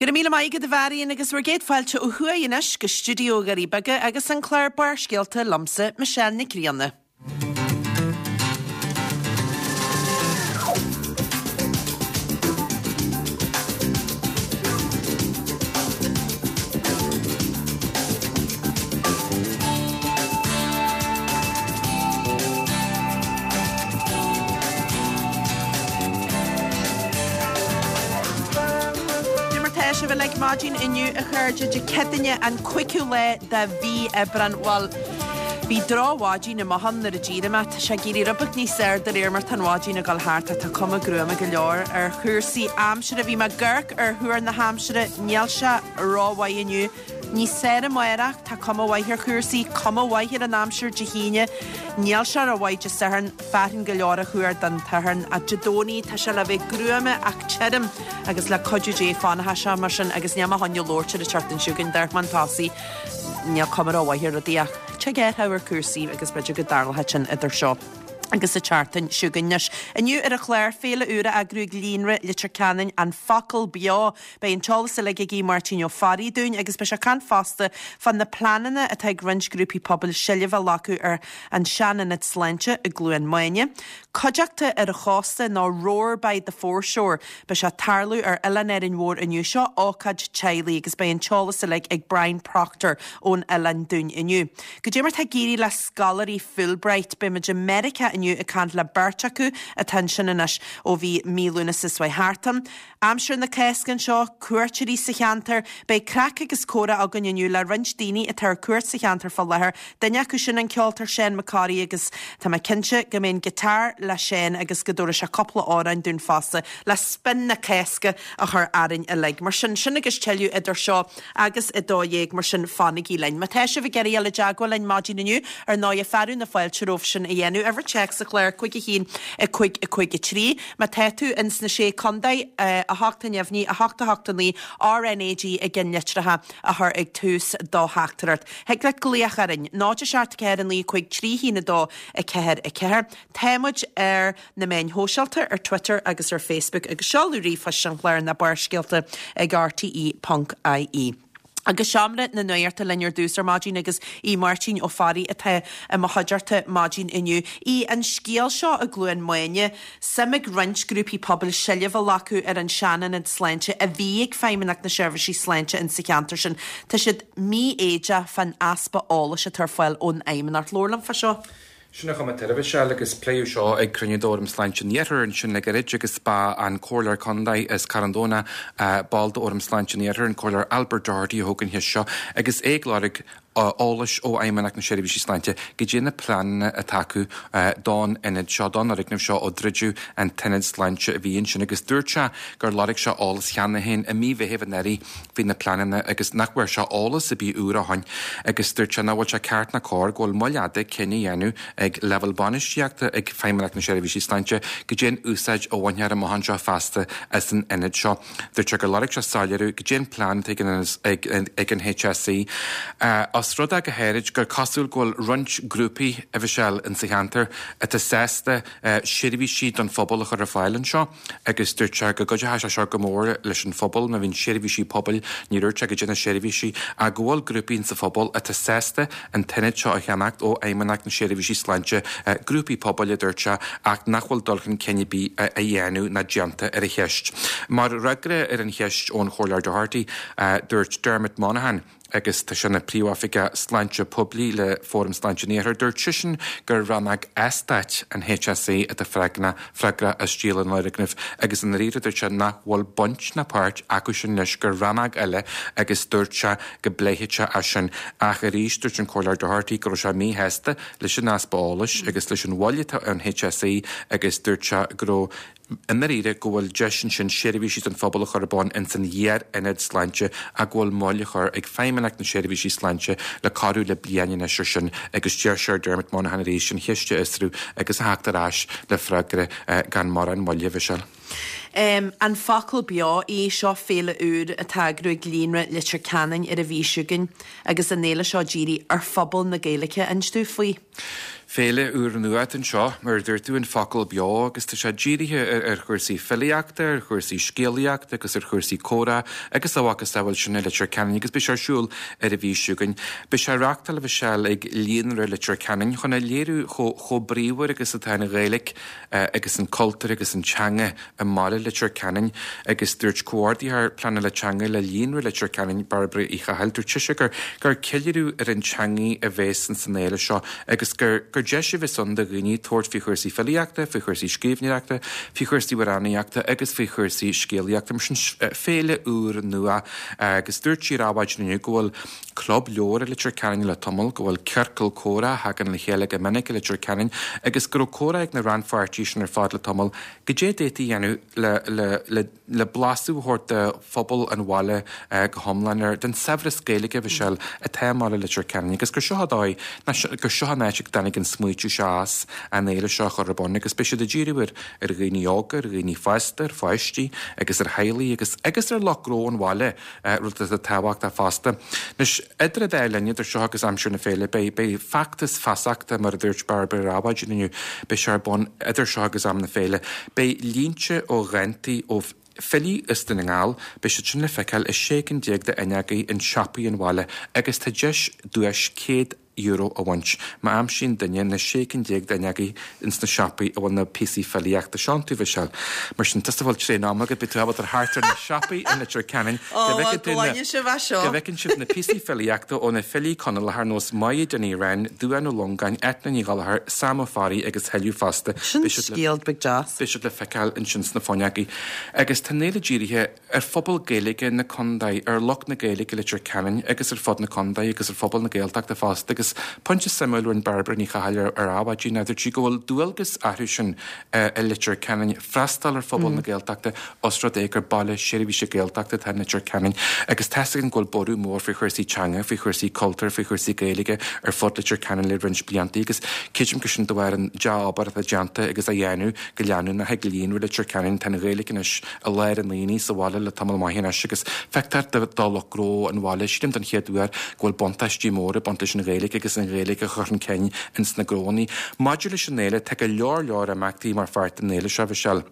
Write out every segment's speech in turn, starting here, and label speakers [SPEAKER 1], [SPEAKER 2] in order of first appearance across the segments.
[SPEAKER 1] Go raibh míle maith agat a Mharion agus bhur gcéad fáilte ó thuaidh anois go stiúideo Dhoirí Beaga agus an clár Barrscéalta liomsa, Michelle Nic Grianna. Cad é mar tá sibh uilig maidin inniu a chairde Dé Céadaoine an 5ú lá de mhí Aibreán. Bhuel, bhí drochmhaidin amach ann nuair a d'éirigh mé. Tá sé ag éirí rud beag níos fearr de réir mar tá an mhaidin ag dul thart ach tá cuma gruama go leor ar chúrsaí aimsire. Bhí mé ag amharc ar thuar na haimsire, níl sé rómhaith inniu. Níos fearr amárach, tá cuma mhaith ar chúrsaí, cuma mhaith ar an aimsir Dé hAoine, níl sé rómhaith Dé Sathairn, fearthainn go leor a thuar don tSatharn, ach Dé Domhnaigh tá sé le bheith gruama ach tirim agus le cuidiú Dé fanfaidh sé mar sin agus níl mé chun labhairt ar an tseachtain seo chugainn, d'amharc mé chun tosaigh, níl cuma rómhaith ar rudaí ach tig athrú ar chúrsaí agus b'fhéidir go dtarlóidh sin idir seo agus an tseachtain seo chugainn. Anois, inniu ar an chlár, féile úr á eagrú ag Líonra Leitir Ceanainn, An Focal Beo. Beidh an t-eolas uilig ag Aodh Máirtín Ó Fearraigh dúinn agus beidh sé ag caint fosta fá na pleananna atá ag roinnt grúpaí pobail seilbh a ghlacadh ar an sean-ionad sláinte i gCluain Maine. Cuideachta ar an chósta nó Roar by the Foreshore. Beidh sé ag tarlú ar Oileán Árainn Mhór inniu. Seo ócáid teaghlaigh agus beidh an t-eolas uilig ag Brian Proctor ón oileán dúinn inniu. Goidé mar tá ag éirí le scoláirí Fulbright. Beidh muid i Meiriceá inniu ag caint le beirt acu atá ansin anois ó bhí mí Lúnasa seo thart ann. Aimsir na Cásca anseo, cuairteoirí sa cheantar. Beidh craic agus comhrá againn inniu le roinnt daoine atá ar cuairt sa cheantar fá láthair, duine acu sin an ceoltóir Seán Mac Corraidh agus tá mé cinnte go mbeidh an guitar le Seán agus go dtabharfaidh sé cúpla amhrán dúinn fosta le spion na Cásca a chur orainn uilig. Mar sin, sin agus tuilleadh idir seo agus 12:00, mar sin fanaigí linn. Má tá sibh ag iarraidh dul i dteagmháil linn maidin inniu, ar ndóighe, fearadh na fáilte romhaibh sin a dhéanamh. Uimhir téacs an chláir, 5 1 5 5 3. Má tá tú ins na Sé Contae, 8 neamhní, 8 8 9, RnaG i gceannlitreacha a chur ag tús do theachtaireacht. Thig leat glaoch orainn, 0 7 4 9 5 3 1 2 4 4. Tá muid ar na meáin shóisialta, ar Twitter agus ar Facebook agus seoladh ríomhphoist an chláir ná Barrscéalta ag rte.ie. Agus seomra na nuachta linn ar dtús ar maidin agus Aodh Máirtín Ó Fearraigh atá i mo chuideachta maidin inniu. Aodh, an scéal seo i gCluain Maine, suim ag roinnt grúpaí pobail seilbh a ghlacadh ar an sean-ionad sláinte a bhí ag Feidhmeannacht na Seirbhísí Sláinte insa cheantar sin. Tá siad mífhoighdeach fán easpa eolais atá ar fáil ón Fheidhmeannacht. Labhair liom fá seo.
[SPEAKER 2] Sin an chuma atá air, a Mhichelle, agus pléadh seo ag cruinniú d'Fhóram Sláinte an Iarthair ansin le gairid agus ba an Comhairleoir Contae as Carn Domhnach, ball d'Fhóram Sláinte an Iarthair, an Comhairleoir Albert Doherty a thóg an cheist seo agus é ag lorg eolais ó Fheidhmeannacht na Seirbhísí Sláinte goidé na pleananna atá acu don ionad seo, don fhoirgneamh seo ó druideadh an t-ionad sláinte a bhí ansin agus dúirt sé gur lorg sé eolas cheana féin i mí Mheithimh anuraidh faoi na pleananna agus nach bhfuair sé eolas ar bith úr ó shoin agus dúirt sé nach bhfuil sé ceart ná cóir go bhfuil moill fhada cinneadh a dhéanamh ag leibhéal bainistíochta ag Feidhmeannacht na Seirbhísí Sláinte goidé an úsáid a bhainfear amach anseo feasta as an ionad seo. Dúirt sé gur lorg sé soiléiriú goidé an plean atá ag an HSE. Os rud é go háirid gur cosúil go bhfuil roinnt grúpaí, a Mhichelle, insa cheantar atá sásta seirbhísí don phobal a chur ar fáil anseo. agus dúirt sé go gcuideoidh sé seo go mór leis an phobal má bhíonn seirbhísí pobail, ní dúirt sé goidé na seirbhísí, ach go bhfuil grúpaí insa phobal atá sásta an t-ionad seo a cheannacht ó Fheidhmeannacht na Seirbhísí Sláinte, grúpaí pobail a dúirt sé, ach nach bhfuil dul chun cinn ar bith á dhéanamh ná déanta ar an cheist. Mar fhreagra ar an cheist ón Chomhairleoir Doherty, dúirt Dermot Monaghan, agus tá sé ina Phríomhoifigeach Sláinte Poiblí le Fóram Sláinte an Iarthair. Dúirt seisean gur rannóg eastáit an HSE atá freagrach as díol an fhoirgnimh agus i ndáiríre dúirt sé nach bhfuil baint ná páirt acu sin leis, gur rannóg eile agus dúirt sé go bpléifeadh sé é sin. Ach arís dúirt an Comhairleoir Doherty go raibh sé míshásta leis an easpa eolais agus leis an mhoill atá ar an HSE agus dúirt sé go raibh I ndáiríre go bhfuil deis ansin seirbhísí don phobal a chur ar bun ins an iar-ionad sláinte ach go bhfuil moill á chur ag Feidhmeannacht na Seirbhísí Sláinte le corradh le bliain anois ar sin agus d'iarr sé ar Dermot Monaghan arís an cheist a fhiosrú agus a theacht ar ais le freagra gan mórán moille, a Mhichelle.
[SPEAKER 1] An Focal Beo í seo féile úr atá á eagrú ag Líonra Leitir Ceanainn ar an mhí seo chugainn agus an fhéile seo dírithe ar phobal na Gaeilge. Inis dúinn faoi.
[SPEAKER 2] Féile úrnua atá anseo, mar a dúirt tú, An Focal Beo, agus tá sé dírithe ar chúrsaí filíochta, ar chúrsaí scéalaíochta agus ar chúrsaí comhrá agus a mhacasamhail sin i Leitir Ceanainn agus beidh sé ar siúl ar an mhí seo chugainn. Beidh sé á reáchtáil, a Mhichelle, ag Líonra Leitir Ceanainn chun a léiriú chomh bríomhar agus atá an Ghaeilge agus an cultúr agus an teanga i mbaile Leitir Ceanainn agus dúirt Comhordaitheoir Pleanála Teanga le Líonra Leitir Ceanainn, Bairbre Uí Chathail, dúirt sise gur gur ceiliúradh ar an teangaidh a bhéas ins an fhéile seo agus gur gur deis a bheas ann do dhaoine tabhairt faoi chúrsaí filíochta, faoi chúrsaí scríbhneoireachta, faoi chúrsaí amhránaíochta agus faoi chúrsaí scéalaíochta. Mar sin féile úr nua agus dúirt sí ar Adhmhaidin inniu go bhfuil club leabhar i Leitir Ceanainn le tamall, go bhfuil ciorcal comhrá a thagann le chéile go minic i Leitir Ceanainn agus go raibh comhrá ag na rannpháirtithe sin ar fad le tamall Goidé a d'fhéadfaí a dhéanamh le, le, le, le blaiseadh a thabhairt do phobal an bhaile go hiomlán ar, den saibhreas Gaeilge, a Mhichelle, atá i mbaile Leitir Ceanainn agus gur seo an dóigh, ná gur seo an áit a dtáinig an smaoitiú seo as, an fhéile seo a chur ar bun agus beidh siad ag díriú ar, ar dhaoine óga, ar dhaoine fásta, ar pháistí agus ar theaghlaigh agus, agus ar lucht gnó an bhaile. rud atá tábhachtach fosta. Anois, idir an dá linn, idir seo agus aimsir na féile, beidh, beidh feachtas feasachta, mar a dúirt Bairbre ar Adhmhaidin inniu, beidh sé ar bun idir seo agus am na féile. Beidh línte ó dhántaí ó filí as Dún na nGall, beidh siad sin le feiceáil i 16 cinn de fhuinneogaí in siopaí an bhaile agus tá deis duais €100 a bhaint má aimsíonn duine na 16 cinn d'fhuinneogaí ins na siopaí a bhfuil na píosaí filíochta seo iontu, Mhichelle. Mar sin, tusa a bhfuil tréan ama agat, beidh tú ábalta thart ar na siopaí i Leitir Ceanainn
[SPEAKER 1] go bhfeiceann tú na,
[SPEAKER 2] go bhfeiceann sibh na píosaí filíochta ó na filí Conallacha ar nós Máire Dinny Wren, Dubhán Ó Longáin, Eithne Ní Ghallchóir, Sam Ó Fearraigh agus thuilleadh fosta.
[SPEAKER 1] Sin scéal beag deas.
[SPEAKER 2] Beidh siad le feiceáil ansin sna fuinneogaí. Agus tá an fhéile dírithe ar phobal Gaeilge na contae, ar lucht na Gaeilge i Leitir Ceanainn agus ar fud na contae agus ar phobal na Gaeltachta fosta agus pointe suimiúil a rinne Bairbre Ní Chathail ar Adhmhaidin ná dúirt sí go bhfuil dualgas orthu sin i Leitir Ceanainn freastal ar phobal na Gaeltachta os rud é gur baile seirbhíse Gaeltachta atá in Leitir Ceanainn agus tá's againn go bhfuil borradh mór faoi chúrsaí teanga, faoi chúrsaí cultúir, faoi chúrsaí Gaeilge ar fud Leitir Ceanainn le roinnt blianta agus creidim gur sin de bharr an dea-obair atá déanta agus á dhéanamh go leanúnach ag Líonra Leitir Ceanainn. Tá an Ghaeilge anois i lár an aonaigh sa bhaile le tamall maith anois agus feictear do lucht gnó an bhaile, sílim don chéad uair, go bhfuil buntáistí móra ag baint leis an Ghaeilge agus an Ghaeilge a chur chun cinn ins na gnóanna. Maidir leis an fhéile, tá go leor leor imeachtaí mar pháirt den fhéile seo, Mhichelle.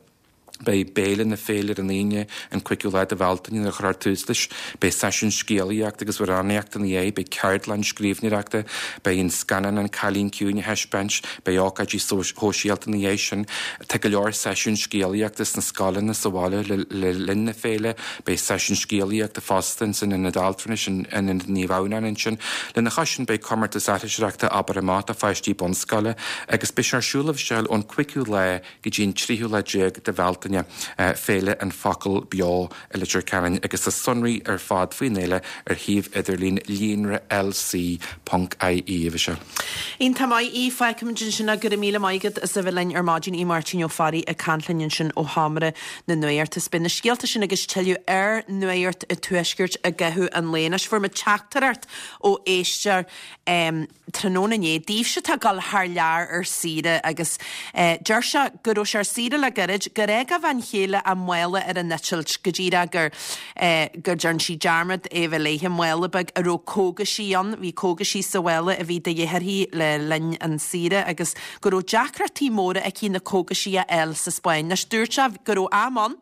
[SPEAKER 2] Beidh béile na féile ar an Aoine, an 5ú lá de Bhealtaine, nuair a chuirfear tús leis. Beidh seisiún scéalaíochta agus amhránaíochta ina dhiaidh, beidh ceardlann scríbhneoireachta, beidh an scannán An Cailín Ciúin á thaispeáint, beidh ócáidí sóisialta ina dhiaidh sin. Tá go leor seisiún scéalaíochta sna scoileanna sa bhaile le linn na féile. Beidh seisiún scéalaíochta fosta ins an Ionad Altranais in Ionad Naomh Adhamhnáin ansin. Lena chois sin beidh comórtas aithriseoireachta Abair Amach do pháistí bunscoile agus beidh sé ar siúl a Mhichelle ón 5ú lá go dtí an tríú lá déag de Bhealtaine, Féile an Focal Beo i Leitir Ceanainn agus tá sonraí ar fad faoin fhéile ar shuíomh idirlín líonra LC ponc IE, a Mhichelle.
[SPEAKER 1] Iontach maith í. Fágfaimid ansin é. Go raibh míle maith agat as a bheith linn ar maidin. Aodh Máirtín Ó Fearraigh ag caint linn ansin ó sheomra na nuachta. Is beidh na scéalta sin agus tuilleadh ar Nuacht an Tuaiscirt i gcaitheamh an lae. Anois fuair muid teachtaireacht ó éisteoir. tráthnóna inné, daoibhse atá ag dul thar lear ar saoire agus deir sé go raibh sé ar saoire le gairid, gur fhág a bhean chéile a mála ar an eitilt, go díreach gur go dtearn sí dearmad é a bheith léithe, mála beag a raibh cógaisí ann, bhí cógaisí sa mhála a bhí de dhíth uirthi le linn an saoire agus go raibh deacrachtaí móra aici na cógaisí a fháil sa Spáinn. Anois dúirt sé go raibh am ann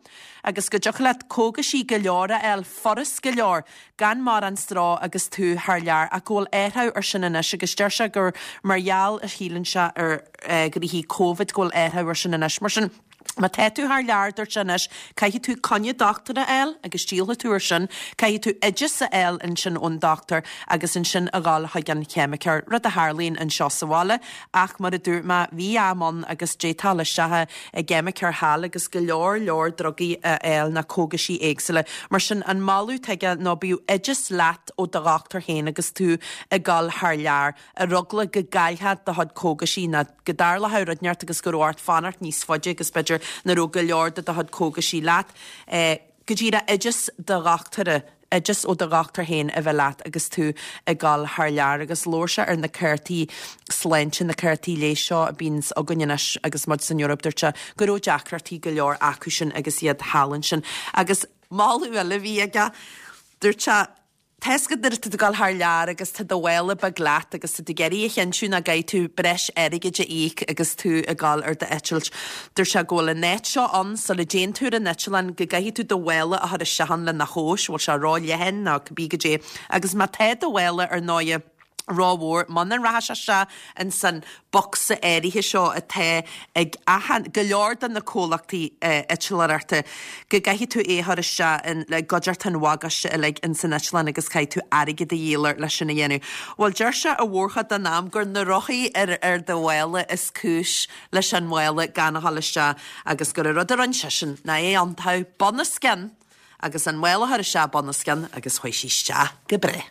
[SPEAKER 1] agus go dtiocfadh leat cógaisí go leor a fháil furast go leor gan mórán stró agus tú thar lear, ach go bhfuil athrú ar sin anois agus deir sé gur mar gheall a shíleann sé ar ghnoithí Covid go bhfuil athrú ar sin anois. Mar sin, má tá tú thar lear, dúirt sé anois, caithfidh tú coinne dochtúra a fháil agus díolfaidh tú ar sin, caithfidh tú oideas a fháil ansin ón dochtúir agus ansin a dhul chuig an cheimiceoir, rud a tharlaíonn anseo sa bhaile ach mar a dúirt mé, bhí am ann agus d'fhéadfá dul isteach i gceimiceoir thall agus go leor leor drugaí a fháil ná cógaisí éagsúla. Mar sin, an moladh atá aige ná bíodh oideas leat ó do dhochtúir féin agus tú ag dul thar lear, ar eagla go gcaillfeá do chuid cógaisí ná go dtarlódh rud inteacht agus go raibh ort fanacht níos faide agus b'fhéidir nach raibh go leor de do chuid cógaisí leat. Go díreach oideas do dhochtúra, oideas ó do dhochtúir féin a bheith leat agus tú ag dul thar lear. Agus labhair sé ar na cártaí sláinte, na cártaí leighis seo a bíonns againn anois agus muid san Eoraip, dúirt sé go raibh deacrachtaí go leor acu sin agus iad thall ansin. Agus moladh eile a bhí aige, dúirt sé. Tá 'fhios agat nuair atá tú ag dul thar lear agus tá do mhála beag leat agus tá tú ag iarraidh a chinntiú nach gcaithfidh tú breis airgid a íoc agus tú ag dul ar d'eitilt. Dúirt sé go bhfuil an áit seo ann sula dtéann tú ar an eitleán go gcaithfidh tú do mhála a chur isteach ann lena thomhas, bhfuil sé ró-leathan nó cibé goidé. Agus má tá do mhála ar ndóighe rómhór, muna rachaidh sé isteach ins an bocsa áirithe seo atá ag achan, go leor de na comhlachtaí eitleoireachta, go gcaithfidh tú é a chur isteach in, i gcuideachta an bhagáiste uilig ins an eitleán agus caithfidh tú airgead a dhíol air leis sin a dhéanamh. Bhuel, deir sé an mhórchuid den am gur na rothaí ar, ar do mhála is cúis leis an mhála gan a dhul isteach agus gur an rud a rinne seisean ná é a iontú bunoscionn agus an mála a chur isteach bunoscionn agus chuaigh sí isteach go breá.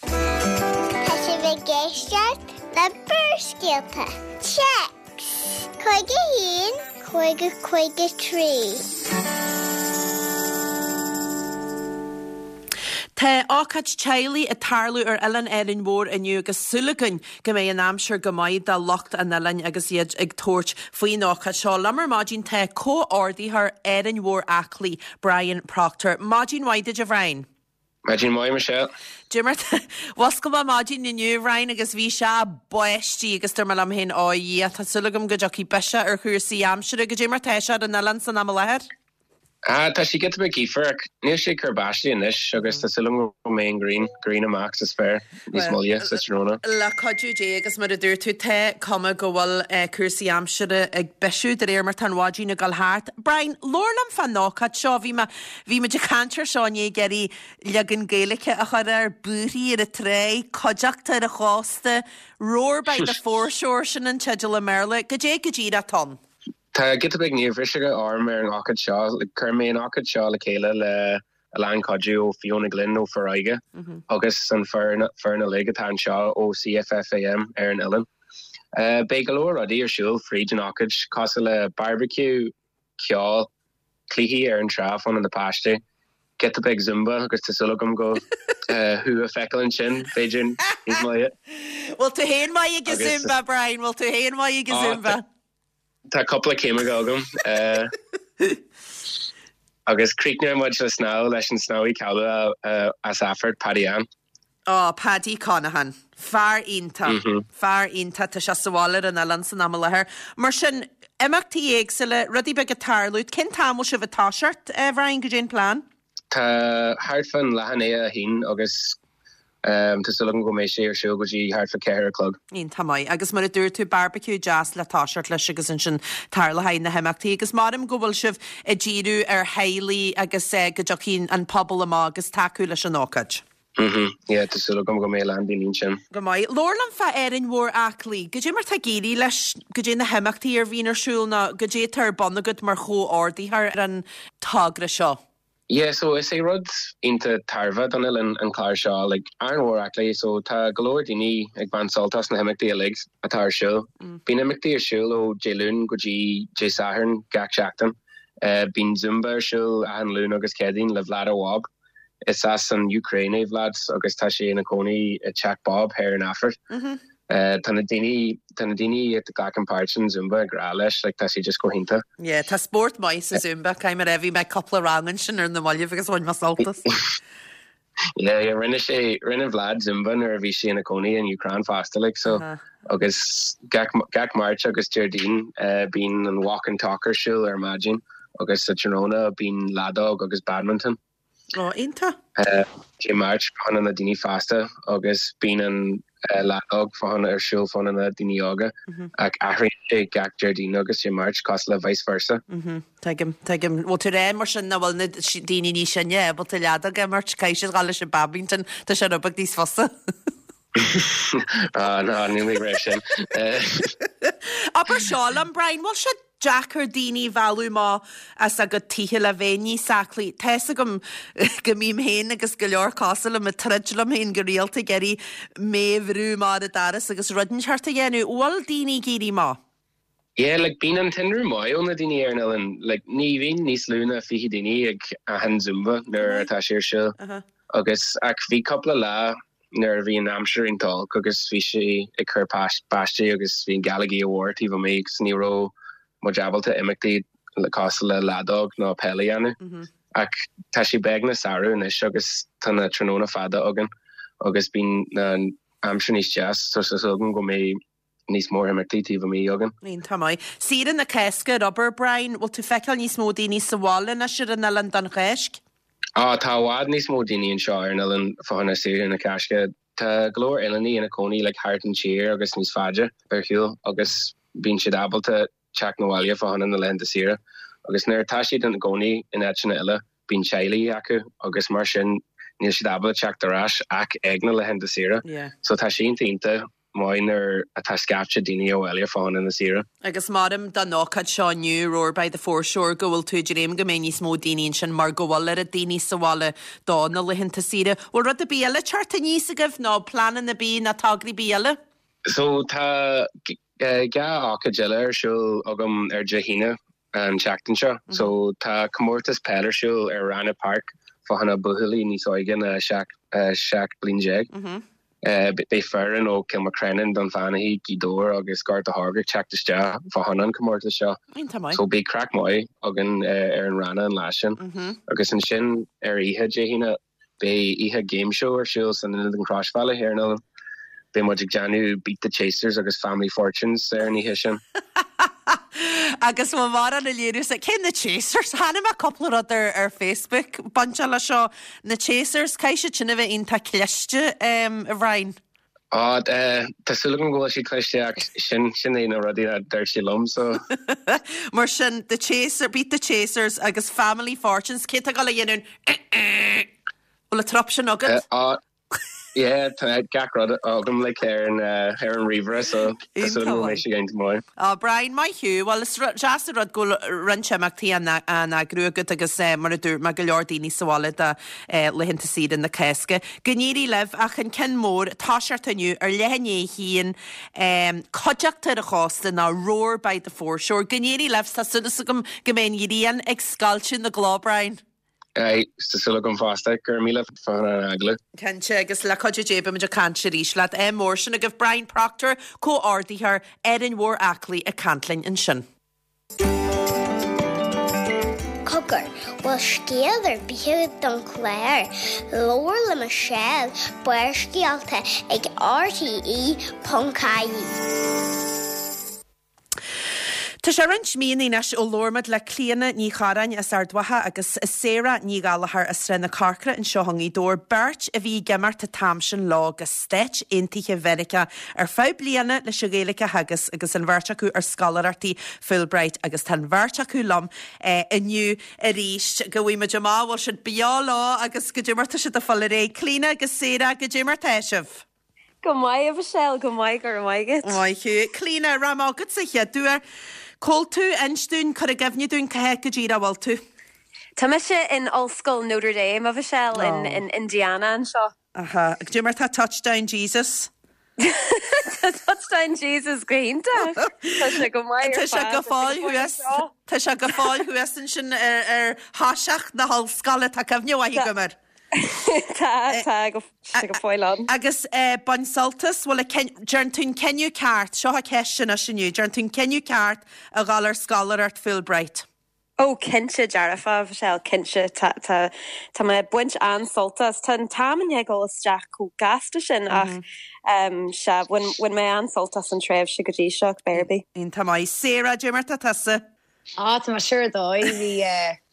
[SPEAKER 3] Tá sibh ag éisteacht le Barrscéalta. Téacs 51 50 53.
[SPEAKER 1] Tá ócáid teaghlaigh ag tarlú ar Oileán Árainn Mhór inniu agus súil againn go mbeidh an aimsir go maith do lucht an oileáin agus iad ag tabhairt faoin ócáid seo. Liom ar maidin tá comhordaitheoir Árainn Mhór Aclaí, Brian Proctor. Maidin mhaith duit a Bhriain.
[SPEAKER 4] Maidin mhaith, Michelle.
[SPEAKER 1] Goidé mar tá, mhuscail mé maidin inniu, a Bhriain, agus bhí sé báistí agus dúirt mé liom féin, ó a Dhia, tá súil agam go dtiocfaidh biseach ar chúrsaí aimsire. Goidé mar tá sé ar an oileán san am i láthair?
[SPEAKER 4] Ah, tá sé giota beag gaofar ach níl sé ag cur báistí anois agus tá súil agam go mbeidh an ghrian, grian amach sa spéir níos moille sa tráthnóna.
[SPEAKER 1] Le cuidiú Dé agus mar a dúirt tú, tá cuma go bhfuil cúrsaí aimsire ag bisiú de réir mar tá an mhaidin ag dul thart. Brian, labhair liom fán ócáid seo. Bhí mé, bhí muid ag caint air seo inné ag iarraidh leagan Gaeilge a chur air, buarthaí ar an tráigh, cuideachta ar an chósta, Roar by the Foreshore, sin an teideal i mBéarla. Goidé go díreach atá ann?
[SPEAKER 4] Tá giota beag neamhbhriseadh orm ar an ócáid seo. Chuir mé an ócáid seo le chéile le a lán cuidiú ó Fiona Glynn ó Foróige agus an foireann uilig atá anseo ó CFFAM ar an oileán. Beidh go leor rudaí ar siúl fríd an ócáid cosúil le barbecue, ceol, cluichí ar an trá fá choinne na páistí, giota beag Zumba agus tá súil agam go thú a feiceáil ansin, b'fhéidir níos moille.
[SPEAKER 1] Bhfuil tú féin maith ag an Zumba, Brian? Bhfuil tú féin maith ag an Zumba?
[SPEAKER 4] Tá cúpla céim agam. Agus críochnóidh muid le snámh leis an snámhaí cáiliúil as Aifeart, Paddy Ann.
[SPEAKER 1] Ó, Paddy Conaghan. Fear iontach. Fear iontach. Tá sé sa bhaile ar an oileán san am i láthair. Mar sin, imeachtaí éagsúla, rudaí beaga ag tarlú. Cén t-am bhfuil sibh ag toiseacht, a Bhriain? Goidé an plean?
[SPEAKER 4] Tá thart fán leath i ndiaidh a haon agus tá súil agam go mbeidh sé ar siúl go dtí thart fá cheathair a chlog.
[SPEAKER 1] Iontach maith. Agus mar a dúirt tú, barbecue deas le toiseacht leis agus ansin tarlóidh na himeachtaí. Agus maram go bhfuil sibh ag díriú ar theaghlaigh agus go dtiocfaidh an pobal amach agus tacú leis an ócáid.
[SPEAKER 4] Mhm, yeah, tá súil agam go mbeidh a lán daoine ansin.
[SPEAKER 1] Go maith. Labhair liom fá Árainn Mhór Aclaí. Goidé mar tá ag éirí leis, goidé na himeachtaí a bhíonn ar siúl nó goidé atá ar bun agat mar chomhordaitheoir ar an togra seo?
[SPEAKER 4] Yeah, so is é rud iontach tairbhe don oileán an clár seo, like Árainn Mhór Aclaí, so tá go leor daoine ag baint sult as na himeachtaí uilig atá ar siúl. Bíonn imeachtaí ar siúl ó Dé Luain go dtí Dé Sathairn gach seachtain. Bíonn Zumba ar siúl achan Luan agus Céadaoin le Vlad Awab. Is as an Úcráin é Vlad agus tá sé ina chónaí i dteach Bob thoir in Aifeart. Tá na daoine, tá na daoine a ghlacann páirt san Zumba grá leis, like tá sé just go hiontach.
[SPEAKER 1] Yeah, tá spórt maith sa Zumba, caithfidh mé a rá, bhí mé cúpla rang ansin ar na mallaibh agus bhain mé sult as.
[SPEAKER 4] Yeah, yeah, rinne sé, rinne Vlad Zumba nuair a bhí sé ina chónaí in Úcráin fosta, like, so, agus gach, gach Máirt agus Déardaoin, bíonn an walk and talk ar siúl ar maidin. Agus sa tráthnóna bíonn leadóg agus badminton.
[SPEAKER 1] Ó, iontach.
[SPEAKER 4] Dé Máirt fá choinne na daoine fásta agus bíonn an leadóg fá choinne ar siúl fá choinne na daoine óga ach athraíonn sé gach Déardaoin agus Dé Máirt cosúil le vice versa.
[SPEAKER 1] Tuigim, tuigim. Bhfuil tú ag rá mar sin nach bhfuil na daoine níos sine ábalta leadóg a imirt, caithfidh siad dhul leis an badminton, tá sé rud beag níos fusa.
[SPEAKER 4] Ah, ná, níl mé ag rá sin.
[SPEAKER 1] Abair seo liom, Brian, bhfuil sé deacair daoine a mhealladh amach as a gcuid tithe le bheith níos aclaí? Tá fhios agam go mbím féin agus go leor cosúil liom ag troid liom féin go rialta ag iarraidh mé a bhrú amach ar an doras agus rud inteacht a dhéanamh. Bhfuil daoine ag éirí amach?
[SPEAKER 4] Yeah, like bíonn an tinreamh maith ó na daoine ar an oileán. Like ní bhíonn níos lú ná 20 daoine ag achan Zumba nuair atá sé ar siúl. Agus ach bhí cúpla lá nuair a bhí an aimsir iontach olc agus bhí sé ag cur báistí agus bhí an gealaigh mhór taobh amuigh agus ní raibh muid ábalta imeachtaí cosúil le leadóg nó peil a dhéanamh. Ach tá sé beagnach samhradh anois agus tá na tráthnóna fada againn agus bíonn an aimsir níos deas so tá súil agam go mbeidh níos mór imeachtaí taobh amuigh againn.
[SPEAKER 1] Iontach maith. Saoire na Cásca ar obair, Brian, bhfuil tú feiceáil níos mó daoine sa bhaile anois ar an oileán don Cháisc?
[SPEAKER 4] Á, tá i bhfad níos mó daoine anseo ar an oileán fá choinne saoire na Cásca. Tá go leor oileánaigh ina cónaí like thart an tír agus níos faide ar shiúl agus bíonn siad ábalta teacht 'na bhaile fá choinne na laethanta saoire agus nuair atá siad ina gcónaí in áiteanna eile bíonn teaghlaigh acu agus mar sin níl siad ábalta teacht ar ais ach ag na laethanta saoire. So tá sé iontach iontach maith nuair atá scaifte daoine abhaile fá choinne na saoire.
[SPEAKER 1] Agus maram don ócáid seo inniu, Roar by the Foreshore, go bhfuil tú ag dréim go mbeidh níos mó daoine ansin mar go bhfuil oiread daoine sa bhaile do na laethanta saoire. Bhfuil rud ar bith eile teacht aníos agaibh nó pleananna ar bith nó tograí ar bith eile?
[SPEAKER 4] So tá 2 ócáid eile ar siúl agam ar Dé hAoine an tseachtain seo. So tá comórtas peil ar siúl ar Ranna Park fá choinne buachaillí níos óige ná 17 bliain. Beidh foireann ó Cill Mhacrennan, Dún Fionnachaidh, Gaoth Dobhair agus Gort a' Choirce ag teacht isteach fá choinne an comórtas seo. So beidh craic maith againn ar an Ranna an lá sin. Agus ansin ar oíche Dé hAoine Beidh oíche Game Show ar siúl san Ionad an Chroisbhealaigh ar an oileán. Beidh muid ag déanamh Beat the Chasers agus Family Fortunes ar an oíche sin.
[SPEAKER 1] Agus mo mhórán a léiriú sa cé na Chasers? Chonaic mé cúpla rud ar ar Facebook bainteach leis seo. Na Chasers, caithfidh siad sin a bheith iontach cliste, a Bhriain.
[SPEAKER 4] Á, tá súil agam go bhfuil siad cliste ach sin, sin é na rudaí a dúirt siad liom so.
[SPEAKER 1] Mar sin, the chaser, beat the chasers agus family fortunes, cé tá ag dul a dhéanamh an eh-eh? Bhfuil an trup sin agat?
[SPEAKER 4] Á, yeah, tá gach rud agam like ar an, ar an ríomhaire so tá súil agam go mbeidh sé iontach maith.
[SPEAKER 1] Á, Brian, maith thú. Bhuel, is deas an rud go bhfuil roinnt imeachtaí á n-eagrú agat agus mar a dúirt mé, go leor daoine sa bhaile do laethanta saoire na Cásca. Go n-éirí libh, ach an ceann mór, toiseacht inniu ar leath i ndiaidh a haon, Cuideachta ar an Chósta nó Roar by the Foreshore. Go n-éirí libh, tá súil agam go mbeidh an ghrian ag scoilteadh na gcloch, Brian.
[SPEAKER 4] Aye, tá súil agam fosta. Go raibh míle fá choinne an agallamh.
[SPEAKER 1] Cinnte, agus le cuidiú Dé beimid ag caint arís leat. Ádh mór sin agaibh. Brian Proctor, Comhordaitheoir Árainn Mhór Aclaí ag caint linn ansin.
[SPEAKER 3] Cogar, bhfuil scéal ar bith agat don chlár? Labhair le Michelle, Barrscéalta ag RTE.ie.
[SPEAKER 1] Tá sé roinnt míonna anois ó labhair muid le Clíona Ní Chorráin as Ard Mhacha agus Sarah Ní Ghallchóir as Srath na Corcra anseo i nGaoth Dobhair, beirt a bhí ag imeacht an t-am sin leo go Stáit Aontaithe Mheiriceá ar feadh bliana leis an Ghaeilge a theagasc agus an bheirt acu ar scoláireachtaí Fulbright agus tá an bheirt acu liom inniu arís. Gabhfaidh muid amach, bhfuil siad beo leo agus goidé mar tá siad ag fáil ar aghaidh. Clíona agus Sarah, goidé mar tá sibh?
[SPEAKER 5] Go maith, a Mhichelle, go maith, go raibh maith agat.
[SPEAKER 1] Maith thú. Clíona, raibh mé agatsa chéad uair. Cá bhfuil tú, inis dúinn, cuir i gcuimhne dúinn cá háit go díreach a bhfuil tú.
[SPEAKER 5] Tá mise in Ollscoil Notre Dame, a Mhichelle, in Indiana anseo.
[SPEAKER 1] Aha. Goidé mar tá Touchdown Jesus?
[SPEAKER 5] Tá Touchdown Jesus go hiontach. Tá sé go maith
[SPEAKER 1] ar fad. Tá sé go fóill thuas. Tá sé go fóill thuas ansin ar ar thoiseach na hollscoile. Tá cuimhne mhaith agam air.
[SPEAKER 5] Tá, tá go sé go fóill ann.
[SPEAKER 1] Agus bain sult as, bhfuil a dearn tú an cinneadh ceart, seo an cheist anois inniu, dearn tú an cinneadh ceart a dhul ar scoláireacht Fulbright?
[SPEAKER 5] Ó, cinnte dearfa, a Mhichelle, cinnte. Tá, tá, tá mé ag baint an-sult as. Tá an t-am i ndiaidh dul isteach chomh gasta sin ach, sea, bhain, bhain mé an-sult as an tréimhse go dtí seo, cibé ar bith.
[SPEAKER 1] Iontach maith. Sarah, goidé mar tá tusa?
[SPEAKER 6] Á, tá mé sure ar dóigh. Bhí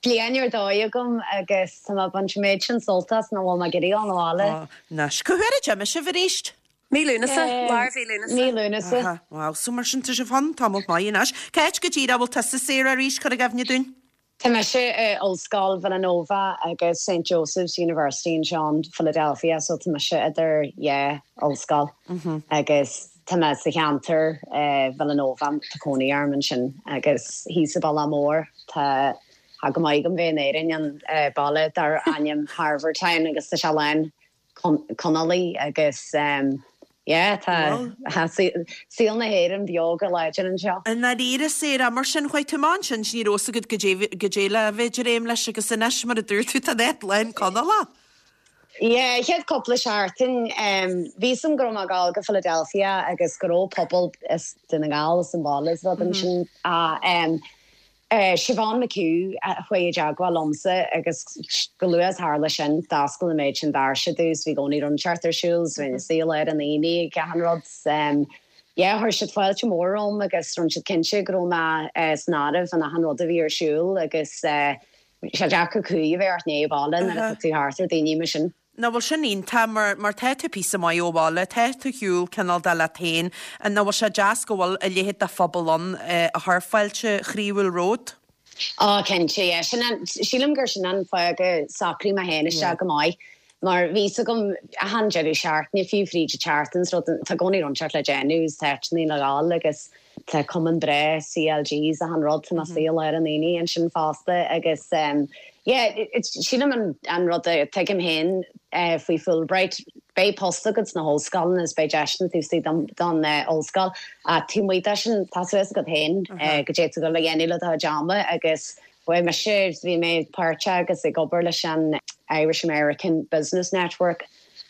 [SPEAKER 6] bliain ar dóigh agam agus tá mé ag baint an méid sin sult as nach bhfuil mé ag iarraidh dul 'na bhaile.
[SPEAKER 1] Á, anois. Cá huair a d'imigh sibh arís?
[SPEAKER 5] Mí Lúnasa, lár mhí Lúnasa.
[SPEAKER 6] Mí Lúnasa.
[SPEAKER 1] Aha, wow, so mar sin tá sibh ann tamall maith anois. Cá háit go díreach a bhfuil tusa Sarah arís, cuir i gcuimhne dúinn?
[SPEAKER 6] Tá mise i Ollscoil Villanova agus St Joseph's University anseo in Philadelphia so tá mise idir dhá ollscoil agus tá mé sa cheantar Villanova, tá cónaí orm ansin agus thíos sa Bhealach Mór tá tá go maith agam bheith in Éirinn an baile dar ainm Harvertown agus tá sé lán Conallaigh agus yeah tá saol na hÉireann beo go láidir anseo.
[SPEAKER 1] I ndáiríre, Sarah, mar sin chuaigh tú amach ansin is ní raibh fhios agat goidé le bheith ag dréim leis agus anois mar a dúirt tú tá an áit lán Conallach.
[SPEAKER 6] Yeah, chéad cúpla seachtain bhí fhios a'm go raibh mé ag dul go Philadelphia agus go raibh pobal as Dún na nGall as an bhaile is rud ansin. Siobhán McHugh a chuaigh i dteagmháil liomsa agus chomh luath is tharla sin, d'oscail an méid sin doirse domh 's bhí i gcónaí rud inteacht ar siúl 's bhí mé suí i lár an aonaigh ag achan rud. Yeah, chuir siad fáilte mhór romham agus rinne siad cinnte go raibh mé san áireamh in achan rud a bhí ar siúl agus bhí sé deacair cumhaidh a bheith ort i ndiaidh baile nuair atá tú thart ar daoine mar sin.
[SPEAKER 1] Nach bhfuil sin iontach mar mar tá tú píosa maith ó bhaile, tá tú ar shiúl cineál de leat féin, nach bhfuil sé deas go bhfuil a leithéid de phobal ann a chuir fáilte chroíúil romhat?
[SPEAKER 6] Á cinnte, yeah. Sin an, sílim gur sin an fáth go socraigh mé féin isteach go maith mar bhí 'fhios agam achan deireadh seachtaine fiú fríd an tseachtain is rud, tá i gcónaí rud inteacht le déanamh is tá áiteanna le dhul agus Tá cumann breá CLG is achan rud, tá mé suí i lár an aonaigh ansin fosta agus yeah sílim an rud a tuigim féin faoi Fulbright, beidh post agat sna hollscoileanna is beidh deiseanna taobh istigh don ollscoil ach taobh amuigh de sin tá suas agat féin goidé tá tú ag dul a dhéanamh le do chuid ama agus bhuel mise bhí mé páirteach agus ag obair leis an Irish American Business Network.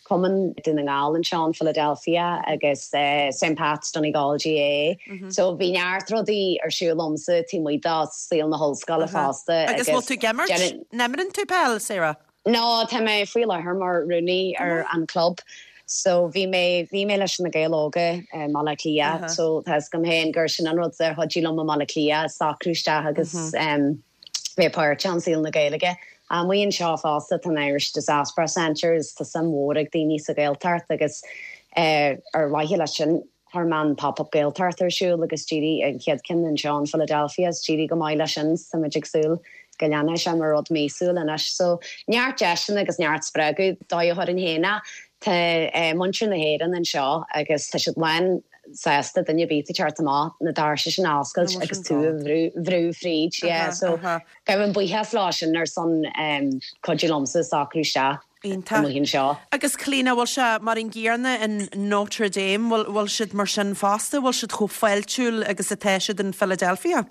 [SPEAKER 6] Cumann Dún na nGall anseo in Philadelphia agus St Pat's Donegal GAA. So bhí neart rudaí ar siúl agamsa taobh amuigh de saol na hollscoile fosta
[SPEAKER 1] Agus bhfuil tú ag imirt? An imríonn tú peil, Sarah?
[SPEAKER 6] No, tá mé faoi láthair mar rúnaí ar an club. So bhí mé, bhí mé leis na Gaeil Óga i mBaile Átha Cliath so tá 'fhios agam féin gur sin an rud a chuidigh liom i mBaile Átha Cliath, socrú isteach agus bheith páirteach in saol na Gaeilge. Amuigh anseo fosta tá an Irish Diaspora Centre is tá suim mhór ag daoine sa Ghaeltacht agus ar mhaithe leis sin chuir mé an Pop Up Gaeltacht ar siúl agus d'éirigh an chéad ceann anseo in Philadelphia is d'éirigh go maith leis sin so táimid ag súil go leanfaidh sé mar rud míosúil anois. So neart deiseanna agus neart spreagadh dóigh a chuirfinn féin é. Tá muintir na hÉireann anseo agus tá siad lán sásta duine ar bith ag teacht amach na doirse sin a oscailt agus tú a bhrú fríd. Yeah, so gabhaim buíochas leo sin ar son cuidiú liomsa socrú isteach amuigh anseo.
[SPEAKER 1] Agus Clíona, bhfuil sé mar an gcéanna in Notre Dame, bhfuil siad mar sin fosta, bhfuil siad chomh fáiltiúil agus atá siad in Philadelphia?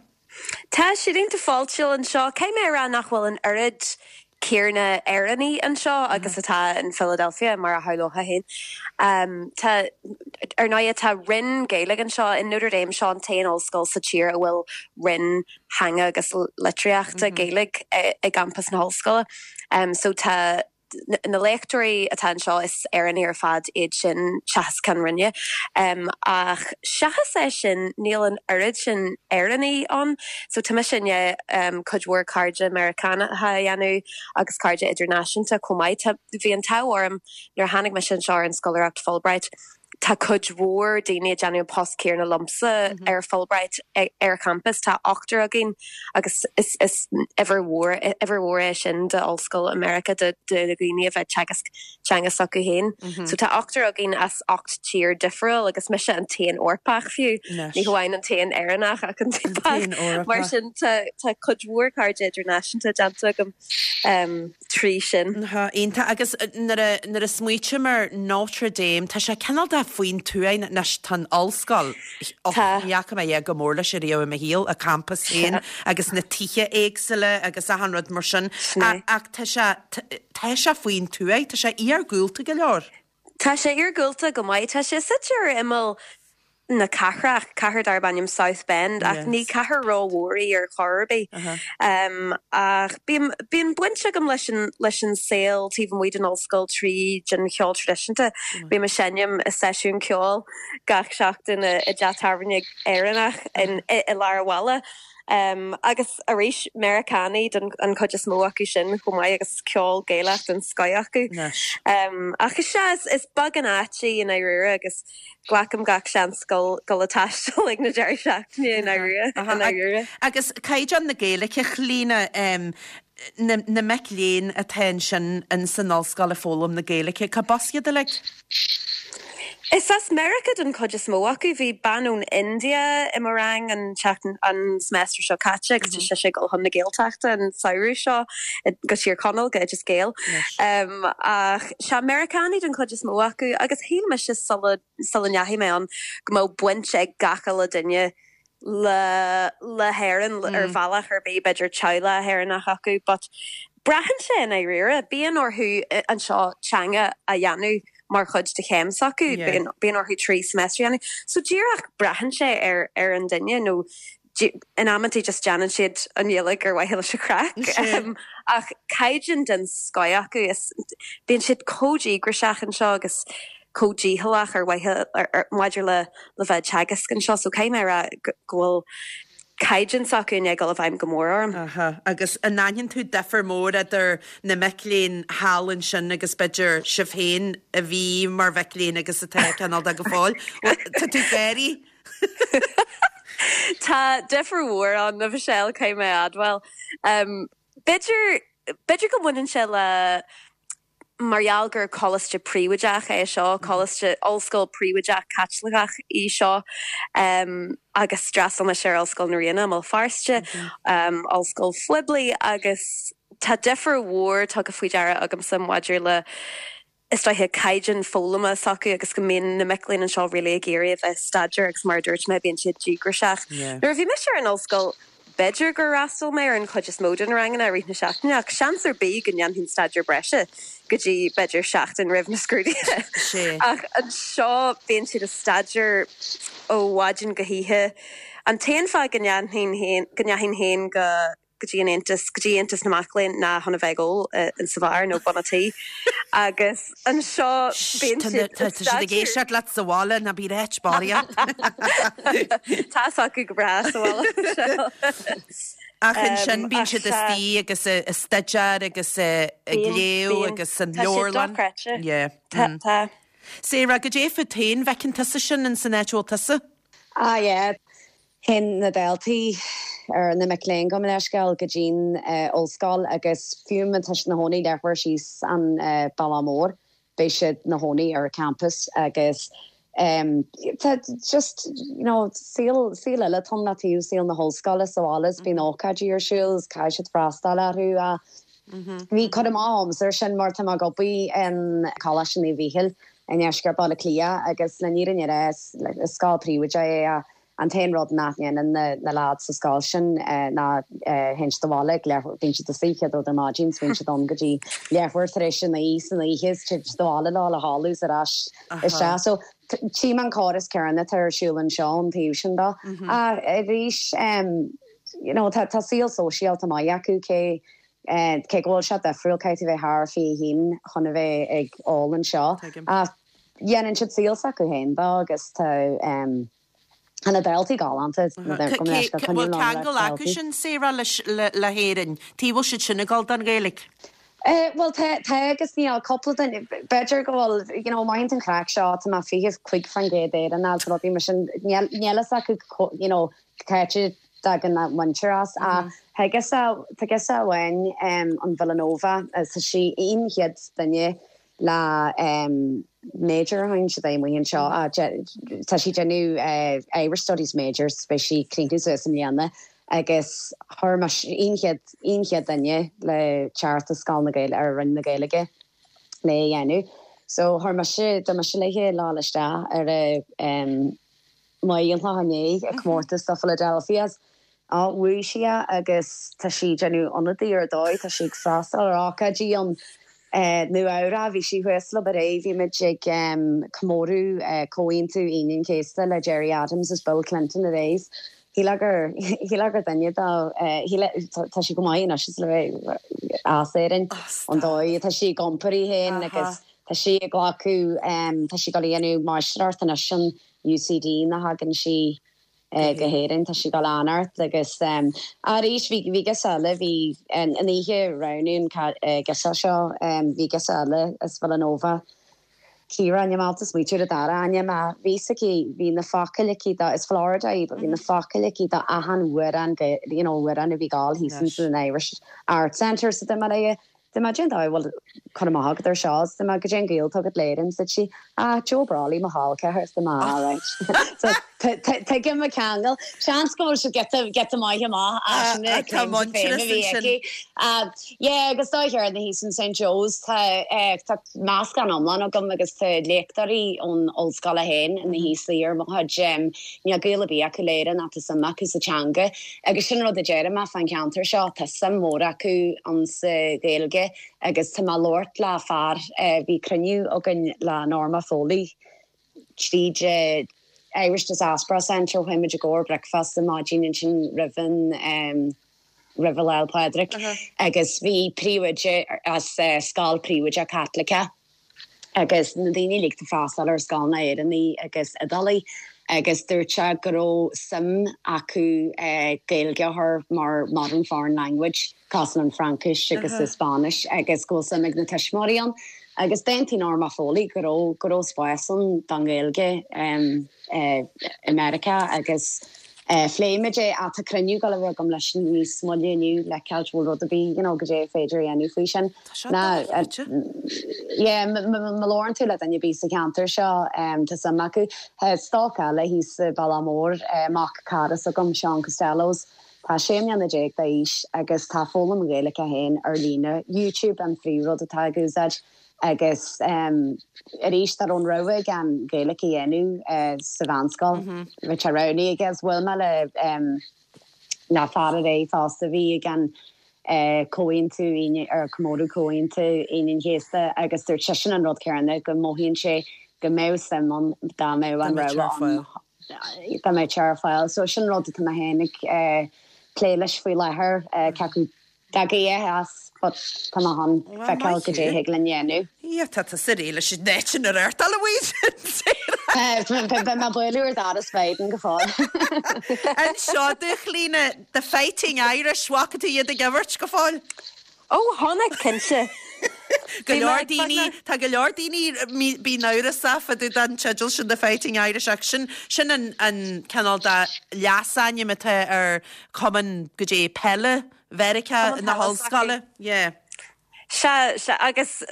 [SPEAKER 5] Tá siad iontach fáiltiúil anseo. Caithfidh mé a rá nach bhfuil an oiread céanna Éireannaigh anseo agus atá in Philadelphia, mar a shamhlófá féin. Tá, ar ndóighe, tá roinn Gaeilge anseo in Notre Dame, seo an t-aon ollscoil sa tír a bhfuil roinn theanga agus litríochta Gaeilge i gcampas na hollscoile. So tá. Na léachtóirí atá anseo, is Éireannaigh ar fad iad sin, seachas ceann roinne. Ach seachas é sin, níl an oiread sin Éireannaigh ann. So tá mise i ndiaidh cuid mhór cairde Meiriceánacha a dhéanamh agus cairde idirnáisiúnta chomh maith. Tá, bhí an t-ádh orm nuair a tháinig mise anseo ar an scoláireacht Fulbright, Tá cuid mhór daoine ag déanamh an post céanna liomsa ar Fulbright ar champas. Tá ochtar againn agus is uimhir mhór uimhir mhór é sin d'ollscoil i Meiriceá do dhaoine a bheith ag teagasc teanga s'acu féin. So tá ochtar againn as 8 tír difriúil agus mise an t-aon Eorpach fiú. Ní hamháin an t-aon Éireannach ach an t-aon Eorpach. Mar sin tá cuid mhór cairde idirnáisiúnta déanta agam. trí sin.
[SPEAKER 1] Iontach. Agus nuair a, nuair a smaoitím ar Notre Dame, tá sé cineál de faoin tuaith, anois tá an ollscoil, och, Tá. ní fhaca mé a dhath chomh mór leis ariamh i mo shaol, a campas féin agus na tithe éagsúla agus achan rud mar sin. Sin é. Ach tá sé, tá sé faoin tuaith, tá sé iargúlta go leor.
[SPEAKER 5] Tá sé iargúlta go maith. Tá sé suite ar imeall na cathrach, cathair darb ainm South Bend, ach ní cathair rómhór í ar chor ar bith. Ach bíonn, bíonn baint agam leis an, leis an saol taobh amuigh den ollscoil tríd an cheol traidisiúnta. Bím ag seinm i seisiún ceoil gach seachtain i dteach tábhairne Éireannach in, i lár an bhaile. Agus arís, Meiriceánaigh den an chuid is mó acu sin chomh maith agus ceol Gaelach den scoith acu. Ach is ea, is beag an áit í i ndáiríre agus glacaim gach seans dul ag taisteal ag na deireadh seachtaine i
[SPEAKER 1] ndáiríre. Agus caighdeán na Gaeilge, Clíona, na mic léinn atá ansin in san ollscoil ag foghlaim na Gaeilge, cá b'as iad uilig?
[SPEAKER 5] Is as Meiriceá den chuid is mó acu. Bhí bean ón India i mo rang an tseachtain, an semester seo caite agus tá sise ag dul chun na Gaeltachta an samhradh seo go Tír Chonaill, go Oideas Gael. Ach sea, Meiriceánaigh den chuid is mó acu agus shíl mise sula, sula ndeachaigh mé ann go mbeadh baint ag gach uile duine le le hÉirinn ar bhealach ar bith, b'fhéidir teaghlach Éireannach acu but braitheann sé i ndáiríre, bíonn orthu anseo teanga a dhéanamh mar chuid de chéim s'acu, bíonn orthu 3 semester a dhéanamh. So díreach braitheann sé ar ar an duine nó. In amantaí just déanann siad an Ghaeilge ar mhaithe leis an chraic. Ach caighdeán den scoith acu is bíonn siad chomh díograiseach anseo agus chomh dícheallach ar mhaithe maidir le le bheith ag teagasc anseo so caithfidh mé a rá go bhfuil caighdeán s'acu i ndiaidh dul i bhfeidhm go mór orm.
[SPEAKER 1] Aha, agus an aithníonn tú difear mór idir na mic léinn thall ansin agus b'fhéidir sibh féin a bhí mar mhic léinn agus atá cineál de go fóill? Tá tú ag gáirí?
[SPEAKER 5] Tá difear mhór ann, a Mhichelle, caithfidh mé a admháil. B'fhéidir, b'fhéidir go mbaineann sé le, mar gheall gur coláiste príobháideach é seo, coláiste, ollscoil príobháideach Caitliceach í seo, agus d'fhreastail mise ar Ollscoil na Ríona i mBéal Feirste, ollscoil phoiblí, agus tá difear mhór tugtha faoi deara agamsa maidir le, is dóiche, caighdeán foghlama s'acu agus go mbíonn na mic léinn anseo really ag iarraidh a bheith ag staidéar agus mar a dúirt mé, bíonn siad díograiseach. Nuair a bhí mise ar an ollscoil, b'fhéidir gur fhreastail mé ar an chuid is mó de na ranganna i rith na seachtaine ach seans ar bith go ndéanfainn staidéar breise go dtí b'fhéidir seachtain roimh na scrúduithe. Ach anseo bíonn siad ag staidéar ó mhaidin go hoíche. An t-aon fáth go ndeachainn féin go go dtí an Aontas, go dtí Aontas na Mac Léinn ná chun a bheith ag ól in sa bheár nó bun a' tí. Agus anseo bíonn siad
[SPEAKER 1] Tá siad ag éisteacht leat sa bhaile, ná bí ag ráit barraíocht.
[SPEAKER 5] Tá fhios acu go breá sa bhaile.
[SPEAKER 1] Ach ansin bíonn siad istigh agus ag staidéar agus ag léamh agus san leabharlann.
[SPEAKER 5] Tá siad dochreidte. Tá, tá.
[SPEAKER 1] Sarah, goidé fút féin, an bhfeiceann tusa sin in san áit a bhfuil tusa?
[SPEAKER 6] Ah yeah. Théann na daltaí, ar na mic léinn gabh mo leithscéal, go dtí'n ollscoil agus fiú má tá siad 'na chónaí leathuair síos an bealach mór, beidh siad 'na chónaí ar campus agus tá just you know saol, saol eile atá ann le taobh saol na hollscoile sa bhaile is bíonn ócáidí ar siúl is caithfidh siad freastal orthu ach bhí cur amach agamsa ar sin mar tá mé ag obair in Coláiste Naomh Mhíchíl i ndeisceart Bhaile Átha Cliath agus le fírinne a rá is scoil príobháideach é ach An t-aon rud nach ndéanann na leaids sa scoil sin ná théann siad abhaile ag leathuair, bíonn siad istigh chéad rud ar maidin is bíonn siad ann go dtí leathuair tar éis a 9 san oíche is téann siad abhaile leo le chodladh is ar ais isteach. So tchím an córas céanna atá ar siúl anseo ón taobh sin de. Ach arís you know tá saol sóisialta maith acu cé cé go bhfuil sé difriúil caithfidh tú bheith thar 21 chun a bheith ag ól anseo. Ach dhéanann siad saol s'acu féin dó agus tá tá na daltaí galánta.
[SPEAKER 1] Bhfuil ceangal acu sin, Sarah, le hÉirinn? Tuige bhfuil siad sin ag dul don Ghaeilge?
[SPEAKER 6] Bhuel tá, tá agus níl. Cúpla duine, b'fhéidir go bhfuil, you know, mothaíonn an chraic seo, tá mé 25% Éireannach agus rudaí mar sin, níl fhios acu, you know, cá háit a dtagann a muintir as. Ach tá girseach, tá girseach amháin ón Villanova, tá sí an chéad duine le major a thagann siad amuigh anseo. Tá sí ag déanamh Irish Studies major so beidh sí ag críochnú suas i mbliana agus chuir mise an chéad an chéad duine le teacht i Scoil na Gaeilge ar Roinn na Gaeilge le é a dhéanamh. So chuir mise dúirt mise léi le dhul isteach ar a maidin inné ag comórtas do Philadelphia. Á, bhuaigh sí é agus tá sí ag déanamh ionadaí ar dóigh, tá sí ag freastal ar ócáidí ann Nua Eabhrac, bhí sí thuas leo aréir, bhí muid ag comóradh Comhaontú Aoine an Chéasta le Gerry Adams is Bill Clinton aréir. Shílfeá gur, shílfeá gur duine dá, tá sí go maith anois is le bheith as Éirinn, an dóigh atá sí ag iompar í féin agus tá sí ag glacadh, tá sí ag dul a dhéanamh máistreacht anois in UCD nuair a thagann sí go hÉirinn. Tá sí ag dul an-ard agus arís bhí bhí girseach eile, bhí an oíche roghnú an girseach seo, bhí girseach eile as Villanova, Ciara, níl mé ábalta smaoitiú ar a dara ainm ach bhí fhios aici, bhí na focail aici do, is Florida í, but bhí na focail aici do achan amhrán you know amhrán a bhí ag gabháil thíos in san Irish Arts Centre so dúirt mé léi Dúirt mé, Cén dóigh a bhfuil cur amach agat ar seo? Is dúirt mé, Goidé an gaol atá agat le Éirinn? Dúirt sí, Ah, Joe Brolly, mo chol ceathar. Is dúirt mé, Ah, right. So, tuigim an ceangal. Seans go bhfuil siad giota, giota maith amach as sin na
[SPEAKER 1] Tá
[SPEAKER 6] claims of fame a
[SPEAKER 1] muintearas
[SPEAKER 6] bhí
[SPEAKER 1] ansin.
[SPEAKER 6] aici. Ah, yeah, agus dóigh ar na thíos in St Joe's, tá, eh, tá meascán iomlán agam agus tá léachtóirí ón ollscoil féin ina thíos suí ar mo chuid, em, níl gaol ar bith acu le Éirinn ach tá suim acu sa teanga. Agus sin rud a deirim mé fán cheantar seo, tá suim mhór acu ann sa Ghaeilge agus tá mé ag labhairt le fear, bhí cruinniú againn le Norma Foley tríd. Irish Diaspora Centre, chuaigh muid i gcomhair bricfeasta maidin ansin roimh an roimh an Lá 'le Pádraig agus bhí príomhoide as scoil príobháideach Caitliceach agus na daoine uilig atá ag freastal ar scoileanna Éireannaigh agus Iodálaigh agus dúirt sé go raibh suim acu Gaeilge a chur mar modern foreign language cosúil an Fraincis agus an Spáinnis agus go bhfuil suim ag na tuismitheoirí ann agus d'aontaigh Norma Foley go raibh go raibh spás ann don Ghaeilge i Meiriceá agus phléigh muid é ach tá cruinniú ag dul a bheith agam leis níos moille inniu le feiceáil bhfuil rud ar bith you know goidé is féidir a dhéanamh faoi sin.
[SPEAKER 1] Tá seo dochreidte.
[SPEAKER 6] Yeah má labhrann tú le duine ar bith sa cheantar seo tá suim acu. Tá stoc eile thíos sa Bealach Mór, mac cara s'agam, Seán Costellos, Tá 16 mbliana d'aois agus tá foghlaim an Ghaeilge aige féin ar líne, YouTube an phríomhrud atá ag úsáid agus arís dá raibh an rogha aige an Ghaeilge a dhéanamh sa mheánscoil, bheadh sé roghnaithe aige agus bhuail mé le le fear aréir fosta a bhí ag an Comhaontú Aoine ar comóradh Comhaontú Aoine an Chéasta agus dúirt seisean an rud céanna go mothaíonn sé go mbeadh suim ann dá mbeadh an rogha ann. Dá mbeadh sé ar fáil. So sin rud atá mé féin ag plé leis faoi láthair, cé acu dtagann as but tá mé chun feiceáil goidé a thig linn dhéanamh.
[SPEAKER 1] Yeah, tá tusa réidh leis an áit ina reáchtáil a mhuintir.
[SPEAKER 6] Beidh mé ag bualadh ar dhoras Biden go fóill.
[SPEAKER 1] Anseo do Chlíona, The Fighting Irish, bhfaca tú iad ag imirt go fóill?
[SPEAKER 5] Ó, chonaic, cinnte.
[SPEAKER 1] Go leor daoine, tá go leor daoine, bíonn amhrasach fá dtaobh den teideal sin The Fighting Irish ach sin, sin an, an cineál de leasainm atá ar chumann goidé peile Mheiriceá na hollscoile. Yeah.
[SPEAKER 5] Sea, sea, agus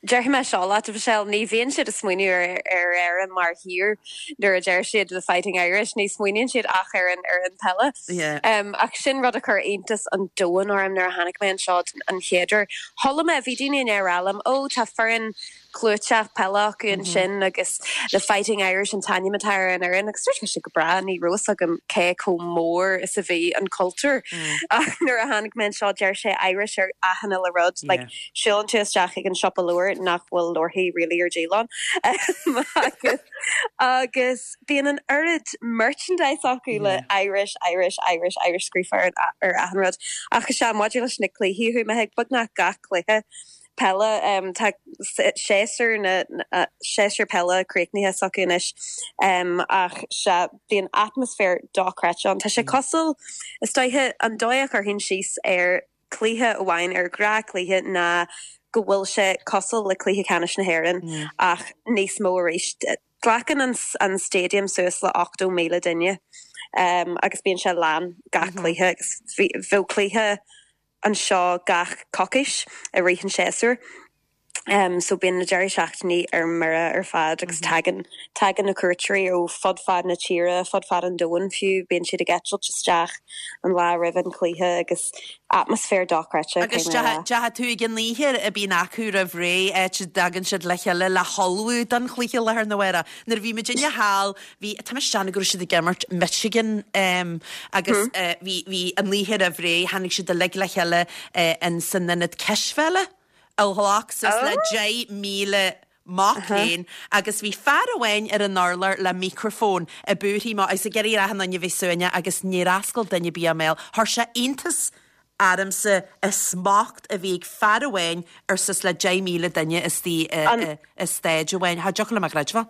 [SPEAKER 5] déarfaidh mé seo leat, a Mhichelle, ní bhíonn siad ag smaoineamh ar, ar Éire mar thír nuair a deir siad The Fighting Irish, ní smaoiníonn siad ach ar an, ar an peile.
[SPEAKER 1] Yeah.
[SPEAKER 5] Ach sin rud a chuir iontas an domhain orm nuair a tháinig mé anseo an chéad uair. Chuala mé, bhí daoine i ndiaidh a rá liom, 'Ó, tá foireann clúiteach peile acu ansin agus The Fighting Irish an t-ainm atá ar an fhoireann agus dúirt mise go breá, ní raibh fhios agam cé chomh mór is a bhí an cultúr. Ach nuair a tháinig mé anseo deir sé Irish ar achan uile rud, like siúlann tú isteach ag an siopa leabhar nach bhfuil leabharthaí really ar díol ann agus agus bíonn an oiread merchandise acu le Irish, Irish, Irish, Irish scríofa ar ar achan rud. Ach is ea, maidir leis na cluichí, chuaigh mé chuig beagnach gach cluiche peile. Tá séasúr na séasúr peile críochnaithe s'acu anois ach sea, bíonn atmaisféar dochreidte ann. Tá sé cosúil, is dóiche, an dóigh a chuirfinn síos ar chluiche amháin, ar ghnáthchluiche ná go bhfuil sé cosúil le cluiche ceannais na hÉireann ach níos mó arís. Glacann an stadium suas le 80,000 duine agus bíonn sé lán gach cluiche agus bheadh cluiche anseo gach coicís i rith an tséasúir. So bíonn na deirí seachtainí ar mire ar fad agus tagann, tagann na cuairteoirí ó fud fad na tíre, fud fad an domhain fiú, bíonn siad ag eitilt isteach an lá roimh an chluiche agus atmaisféar dochreidte,
[SPEAKER 1] Agus caithfidh mé a rá. dteachaigh tú ag an oíche a bíonn acu roimh ré, áit a dtagann siad le chéile le hullmhú don chluiche lá arna mhárach. Nuair a bhí muidinne thall, Bhí, tá mise ag déanamh go raibh siad ag imirt Michigan agus bhí, bhí an oíche roimh ré, tháinig siad uilig le chéile in san ionad cispheile a ghlac suas le 10,000 mac léinn agus bhí fear amháin ar an urlár le micreafón ag búirthigh amach agus ag iarraidh ar achan duine bheith suaimhneach agus níor oscail duine ar bith a mbéal. Chuir sé iontas ormsa an smacht a bhí ag fear amháin ar suas le 10,000 duine istigh i staid amháin. Cha dtiocfadh liom a chreidbheáil.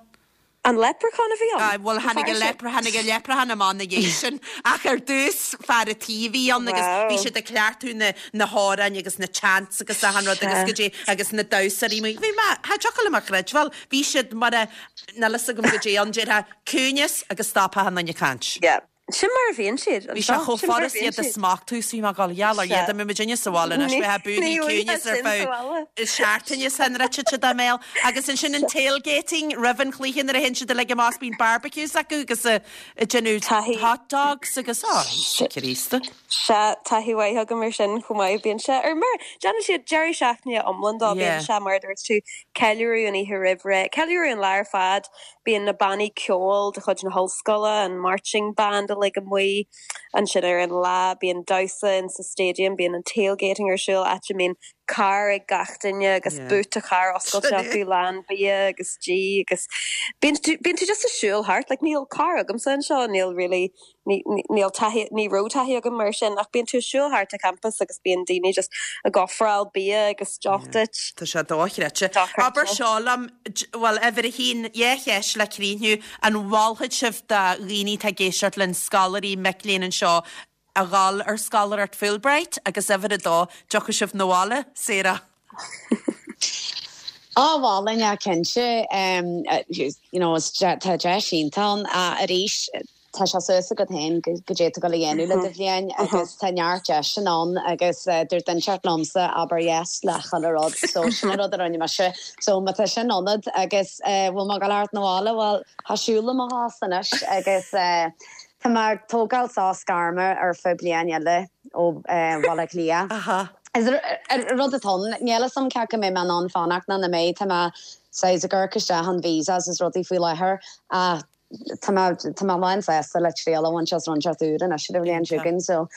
[SPEAKER 5] An leprechaun a bhí ann?
[SPEAKER 1] Aye, bhuel tháinig an lepre, tháinig an leprechaun amach ina dhiaidh sin ach ar dtús fear an tí a bhí ann agus bhí siad ag cleachtadh na, na hamhráin agus na chants agus achan rud agus goidé agus na damhsóirí amuigh. Bhí mé, cha dtiocfadh liom a chreidbheáil, bhí siad mar a, níl fhios agam goidé ann, déarfá ciúineas agus stop achan duine ag caint.
[SPEAKER 5] Yeah. Sin mar a bhíonn siad
[SPEAKER 1] Bhí sé chomh
[SPEAKER 5] Sin mar a
[SPEAKER 1] furast
[SPEAKER 5] bhíonn
[SPEAKER 1] iad a
[SPEAKER 5] siad.
[SPEAKER 1] smachtú is bhí mé ag dul, gheall ar
[SPEAKER 5] Sea.
[SPEAKER 1] Dhia dá mbeadh muidinne sa bhaile anois,
[SPEAKER 5] Ní
[SPEAKER 1] bheifeá ag búirthigh
[SPEAKER 5] bhfuil
[SPEAKER 1] ciúineas ar
[SPEAKER 5] sin sa
[SPEAKER 1] feadh
[SPEAKER 5] bhaile.
[SPEAKER 1] seachtaine san rite de dá mbéal. Agus ansin an tailgating roimh an chluiche nuair a théann siad uilig amach is bíonn barbecues acu agus ag déanamh
[SPEAKER 5] Taithí.
[SPEAKER 1] hot dogs agus, ó, Íosa Críosta.
[SPEAKER 5] Sea, taithí mhaith agam ar sin chomh maith. Bíonn sé ar mire. Déanann siad deireadh seachtaine iomlán dó.
[SPEAKER 1] Yeah.
[SPEAKER 5] Bíonn sé, mar a dúirt tú, ceiliúradh an oíche roimh ré, ceiliúradh an lá ar fad. Bíonn na bannaí ceoil de chuid na hollscoile, an marching band uilig amuigh ansin ar an lá. Bíonn damhsa in sa stadium, bíonn an tailgating ar siúl, áit a mbíonn carr ag gach duine agus boot an chairr oscailte acu lán bia agus dí agus bíonn tú bíonn tú just ag siúl thart like níl carr agamsa anseo níl really ní níl taithí ní raibh taithí agam mar sin ach bíonn tú ag siúl thart an campas agus bíonn daoine just ag ofráil bia agus deoch duit.
[SPEAKER 1] Tá sé dochreidte. Abair seo liom, bhuel uimhir a haon, dhá cheist le críochnú, an mholfadh sibh do dhaoine atá ag éisteacht linn, scoláirí, mic léinn anseo, a dhul ar scoláireacht Fulbright agus uimhir a dó, dtiocfaidh sibh 'na bhaile, Sarah?
[SPEAKER 6] Á, mholfainn é cinnte. You know, tá deis iontach ann. Arís, tá sé suas agat féin goidé tá tú ag gabháil a dhéanamh le do bhliain agus tá neart deiseanna ann agus dúirt duine inteacht liomsa abair yes le chuile rud so sin an rud a rinne mise. So má tá sin ionat agus bhfuil mé ag gabháil a theacht 'na bhaile, bhuel, tá siúl i mo chos anois agus Tá mé ag tógáil sos gairme ar feadh bliain eile ó Bhaile Átha Cliath. Is rud atá ann, níl a fhios agam cé acu mbeidh mé in ann fanacht nó nach mbeidh. Tá mé saghas ag amharc isteach an visas is rudaí faoi láthair ach tá mé tá mé lán sásta le triail a bhaint as rud inteacht úr anois ar an bhliain seo chugainn so.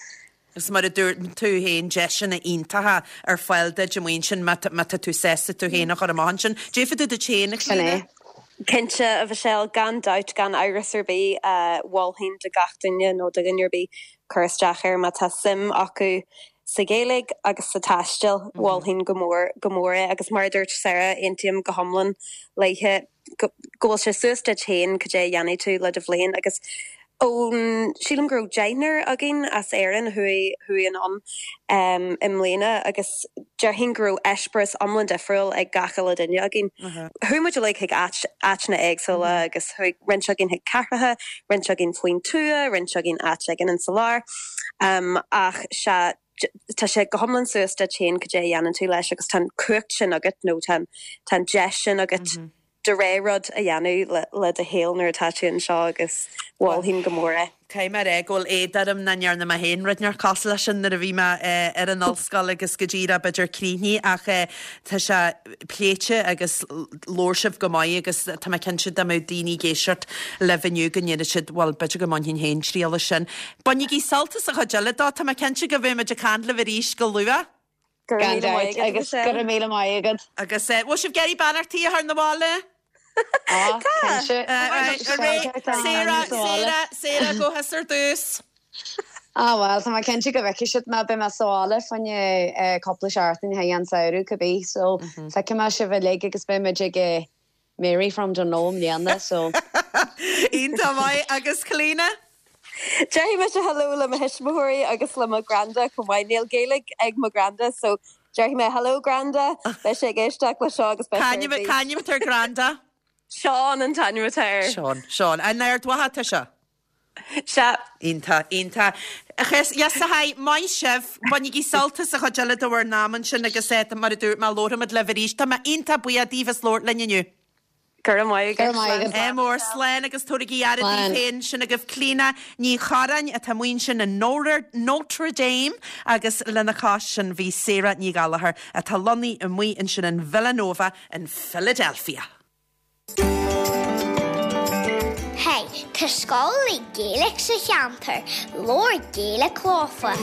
[SPEAKER 1] Agus mar a dúirt tú féin, deiseanna iontacha ar fáil duit amuigh ansin má tá tú sásta tú féin a chur amach ansin. Déarfaidh tú duit féin, a
[SPEAKER 6] Sin é.
[SPEAKER 1] Chlíona?
[SPEAKER 5] Cinnte, a Mhichelle, gan dabht, gan amhras ar bith, mholfainn do gach duine nó do dhuine ar bith cur isteach air má tá suim acu sa Ghaeilge agus sa taisteal, mholfainn go mór, go mór é. Agus mar a dúirt Sarah, aontaím go hiomlán léithe. go bhfuil sé suas duit féin cad é a dhéanfaidh tú le do bhliain agus ón, sílim go raibh deichniúr againn as Éirinn a chuaigh, chuaigh anonn i mbliana agus déarfainn go raibh eispéireas iomlán difriúil ag gach uile duine againn. Chuaigh muid uilig chuig áit, áiteanna éagsúla agus chuaigh roinnt againn chuig cathracha, roinnt againn faoin tuath, roinnt againn áit éigin insa lár ach sea, tá sé go hiomlán suas duit féin cad é a dhéanann tú leis agus tá an cumhacht sin agat nó tá an, tá an deis sin agat do rogha rud a dhéanamh le, le do shaol nuair atá tú anseo agus mholfainn go mór é.
[SPEAKER 1] Caithfidh mé a rá go bhfuil éad orm nach ndearna mé féin rud inteacht cosúil leis sin nuair a bhí mé ar an ollscoil agus go díreach b'fhéidir críochnaithe ach tá sé pléite agus labhair sibh go maith agus tá mé cinnte dá mbeadh daoine ag éisteacht libh inniu go ndéarfadh siad bhuel b'fhéidir go mbainfinn féin triail as sin. Bainigí sult as an chuid eile dó, tá mé cinnte go mbeidh muid ag caint libh arís go luath.
[SPEAKER 5] Go raibh
[SPEAKER 6] Gan
[SPEAKER 5] míle maith
[SPEAKER 6] dabht,
[SPEAKER 5] agat,
[SPEAKER 6] agus go
[SPEAKER 5] Michelle.
[SPEAKER 6] raibh míle maith agat.
[SPEAKER 1] Agus bhfuil sibh ag iarraidh beannachtaí a chur 'na bhaile?
[SPEAKER 6] Á,
[SPEAKER 5] Tá!
[SPEAKER 6] cinnte.
[SPEAKER 1] Sarah, Sarah, Sarah, gabh thusa ar dtús.
[SPEAKER 6] Á bhuel, tá mé cinnte go bhfeicfidh siad mé, beidh mé sa bhaile fá choinne cúpla seachtain thar an samhradh cibé, so feicfidh mé sibh uilig agus beidh muid ag Mary from Dungloe i mbliana, so.
[SPEAKER 1] Iontach maith, agus Clíona?
[SPEAKER 5] Déarfaidh mise hello le mo thuismitheoirí agus le mo granda chomh maith. Níl Gaeilge ag mo granda so déarfaidh mé hello granda, beidh sé ag éisteacht le seo agus beidh sé ar bís.
[SPEAKER 1] Cá hainm atá ar granda?
[SPEAKER 5] Seán an t-ainm atá air.
[SPEAKER 1] Seán, Seán. In Ard Mhacha atá sé?
[SPEAKER 5] Sea.
[SPEAKER 1] Iontach, iontach. Yes, hi, maith sibh. Bainigí sult as an chuid eile de bhur n-am ansin agus eh, mar a dúirt mé, labharfaimid libh arís. Tá mé iontach buíoch daoibh as labhairt linn inniu.
[SPEAKER 5] Go raibh maith
[SPEAKER 6] Go
[SPEAKER 5] agat.
[SPEAKER 6] raibh maith agat.
[SPEAKER 1] Ádh mór, slán agus tabhairigí aire daoibh
[SPEAKER 6] Slán.
[SPEAKER 1] féin. Sin agaibh Clíona Ní Chorráin atá amuigh ansin in Notre Dame agus lena chois sin bhí Sarah Ní Ghallchóir atá lonnaithe amuigh ansin in Villanova in Philadelphia.
[SPEAKER 3] Hey, tá scoláirí Gaeilge sa cheantar, labhair Gaeilge leofa.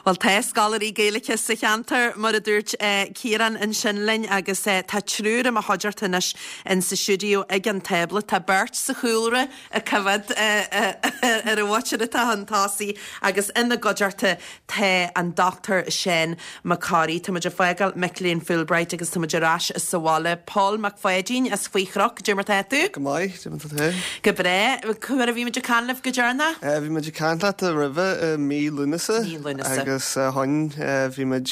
[SPEAKER 1] Bhuel, tá scoláirí Gaeilge sa cheantar, mar a dúirt Ciarán ansin linn, agus tá triúr i mo chuideachta anois in sa stiúideo ag an tábla. Tá beirt sa chúlra ag coimhéad ar an mhuintir atá chun tosaigh agus ina gcuideachta tá an Dr Seán Mac Corraidh. Tá muid ag fágáil mic léinn Fulbright agus tá muid ar ais sa bhaile. Pól Mac Pháidín as Faoi Chnoc, cad é mar tá tú?
[SPEAKER 7] Go maith, cad é mar tá tú?
[SPEAKER 1] Go breá. Cá huair a bhí muid ag caint libh go deireanach?
[SPEAKER 7] Bhí muid ag caint leat roimhe i mí Lúnasa.
[SPEAKER 1] Mí Lúnasa.
[SPEAKER 7] Agus ó shin bhí muid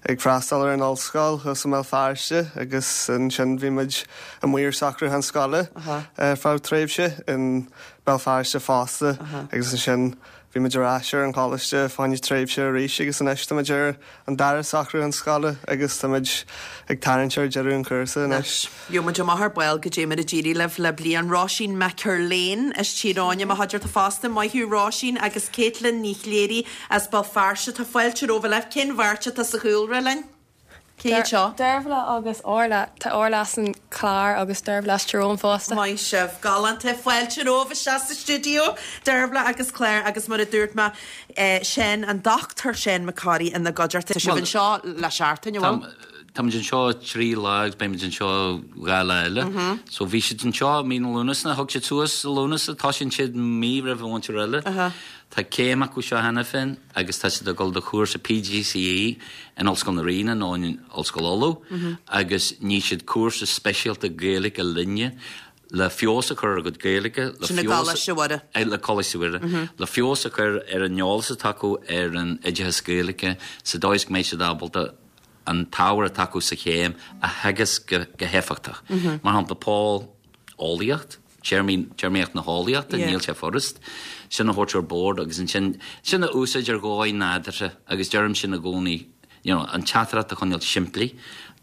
[SPEAKER 7] ag freastal ar an ollscoil thuas i mBéal Feirste agus ansin bhí muid amuigh ar socrúchán scoile ar feadh tréimhse in Béal Feirste fosta agus ansin bhí muid ar ais ar an choláiste fá choinne tréimhse arís agus anois tá muid ar an dara socrúchán scoile agus tá muid ag tarraingt ar deireadh an chúrsa anois.
[SPEAKER 1] Gheobhaidh muid amach ar ball goidé mar a d'éirigh libh le bliain. Róisín McErlane as Tír Eoghain i mo chuideachta fosta. Maith thú Róisín agus Caitlin Ní Chléirigh as Béal Feirste. Tá fáilte romhaibh uilig. Cén bheirt atá sa chúlra linn? Cé hiad seo?
[SPEAKER 8] Dervla agus Orla. Tá Orla as an Chlár agus Dervla as Tír Eoghain fosta.
[SPEAKER 1] Maith sibh. Galánta. Fáilte romhaibh isteach sa stiúideo, Dervla agus Claire agus mar a dúirt mé, Seán, an Dr Seán Mac Corraidh ina gcuideachta. Tá sibh anseo le seachtain, an bhfuil?
[SPEAKER 9] Táimid anseo 3 lá agus beimid anseo 2 lá eile. So bhí siad anseo mí na Lúnasa, thug siad suas i Lúnasa, tosaíonn siad mí roimh an mhúinteoir eile. Tá céim acu seo cheana féin agus tá siad ag dul do chúrsa PGCE in Ollscoil na Ríona nó in Ollscoil Uladh agus ní siad cúrsa speisialta Gaeilge linne le feabhas a chur ar a gcuid Gaeilge, le
[SPEAKER 1] Sin i gColáiste Mhuire.
[SPEAKER 9] le Coláiste Mhuire, le feabhas a chur ar an eolas atá acu ar an oideachas Gaeilge sa dóigh is go mbeidh siad ábalta an t-ábhar atá acu sa chéim a theagasc go héifeachtach. Mar shampla, Paul, eolaíocht, téarmaí, téarmaíocht na heolaíochta, níl sé furast sin a thabhairt ar bord agus ansin sin a úsáid ar dhóigh nádúrtha agus deirim sin i gcónaí, you know, an teachtaireacht a choinneáil simplí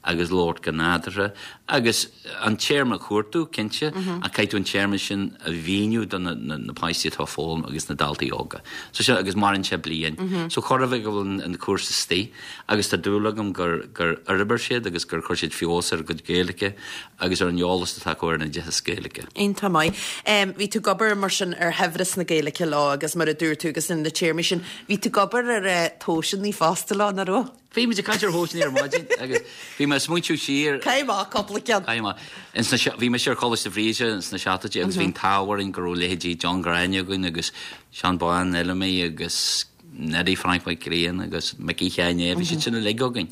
[SPEAKER 9] agus labhairt go nádúrtha agus an téarma a chuartú, cinnte, ach caithfidh tú an téarma sin a mhíniú do na, na, na páistí atá ag foghlaim agus na daltaí óga. So sin, agus maireann sé bliain. So chóir a bheith go bhfuil an, an cúrsa istigh agus tá dúil agam gur, gur fhorbair siad agus gur chuir siad feabhas ar a gcuid Gaeilge agus ar an eolas atá acu ar an oideachas Gaeilge.
[SPEAKER 1] Iontach maith. Bhí tú ag obair mar sin ar shaibhreas na Gaeilge leo agus mar a dúirt tú agus na téarmaí sin, bhí tú ag obair ar tomhaiseanna fosta leo, nach raibh?
[SPEAKER 9] Bhí muid ag caint ar thomhaiseanna ar maidin agus bhí mé ag smaointiú siar.
[SPEAKER 1] Caith amach cúpla ceann.
[SPEAKER 9] Caith amach. Ins na, bhí mise ar Choláiste Bhríde ins na seachtóidí agus bhí an t-ádh orainn go raibh leithéidí John Ghráinne againn agus Seán Bán Fheilimí agus Neidí Frainc Mac Grianna agus Micí Sheáin Aodha, bhí siad sin uilig againn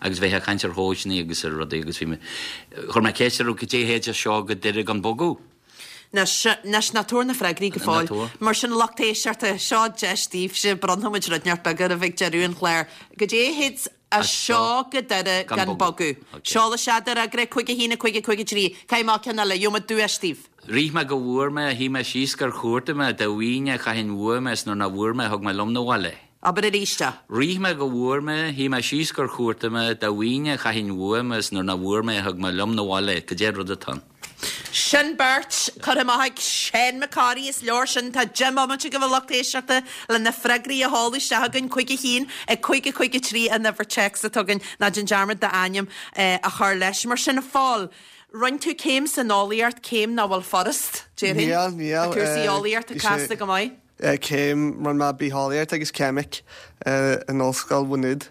[SPEAKER 9] agus bheifeá ag caint ar thomhaiseanna agus ar rudaí agus bhí mé, chuir mé ceist orthu cad é théid as seo go Doire gan bogadh?
[SPEAKER 1] Anois, anois, ná tabhair na freagraí go fóill.
[SPEAKER 9] Ná tabhair.
[SPEAKER 1] Mar sin, lucht éisteachta, seo deis daoibhse, bronnfaidh muid rud inteacht beag oraibh ag deireadh an chláir. Cad é théid as seo go Doire gan bogadh? Seol isteach do fhreagra, 5 1 5 5 3. Caith amach ceann eile, gheobhaidh muid duais daoibh.
[SPEAKER 9] Rith mé go bhfuair mé, shuigh mé síos gur chuartaigh mé, dá bhfaighinn é chaithfinn uaim é 's nuair nach bhfuair mé thug mé liom 'na bhaile é.
[SPEAKER 1] Abair arís é.
[SPEAKER 9] Rith mé go bhfuair mé, shuigh mé síos gur chuartaigh mé, dá bhfaighinn é chaithfinn uaim é 's nuair nach bhfuair mé thug mé liom 'na bhaile é. Cad é an rud atá ann?
[SPEAKER 1] Sin beirt curtha amach ag Seán Mac Corraidh, is leor sin. Tá 10 mbomaite agaibh a lucht éisteachta le na freagraí a sheoladh isteach chugainn, 5 1, 5 5 3 an uimhir téacs atá againn, ná déan dearmad d'ainm a chur leis. Mar sin, a Phóil, Rinne tú céim san eolaíocht, céim nach bhfuil furast, déarfainn.
[SPEAKER 7] Níl, níl.
[SPEAKER 1] Tá cúrsaí eolaíochta casta go maith.
[SPEAKER 7] Céim, rinne mé bitheolaíocht agus ceimic in Ollscoil Mhaigh Nuad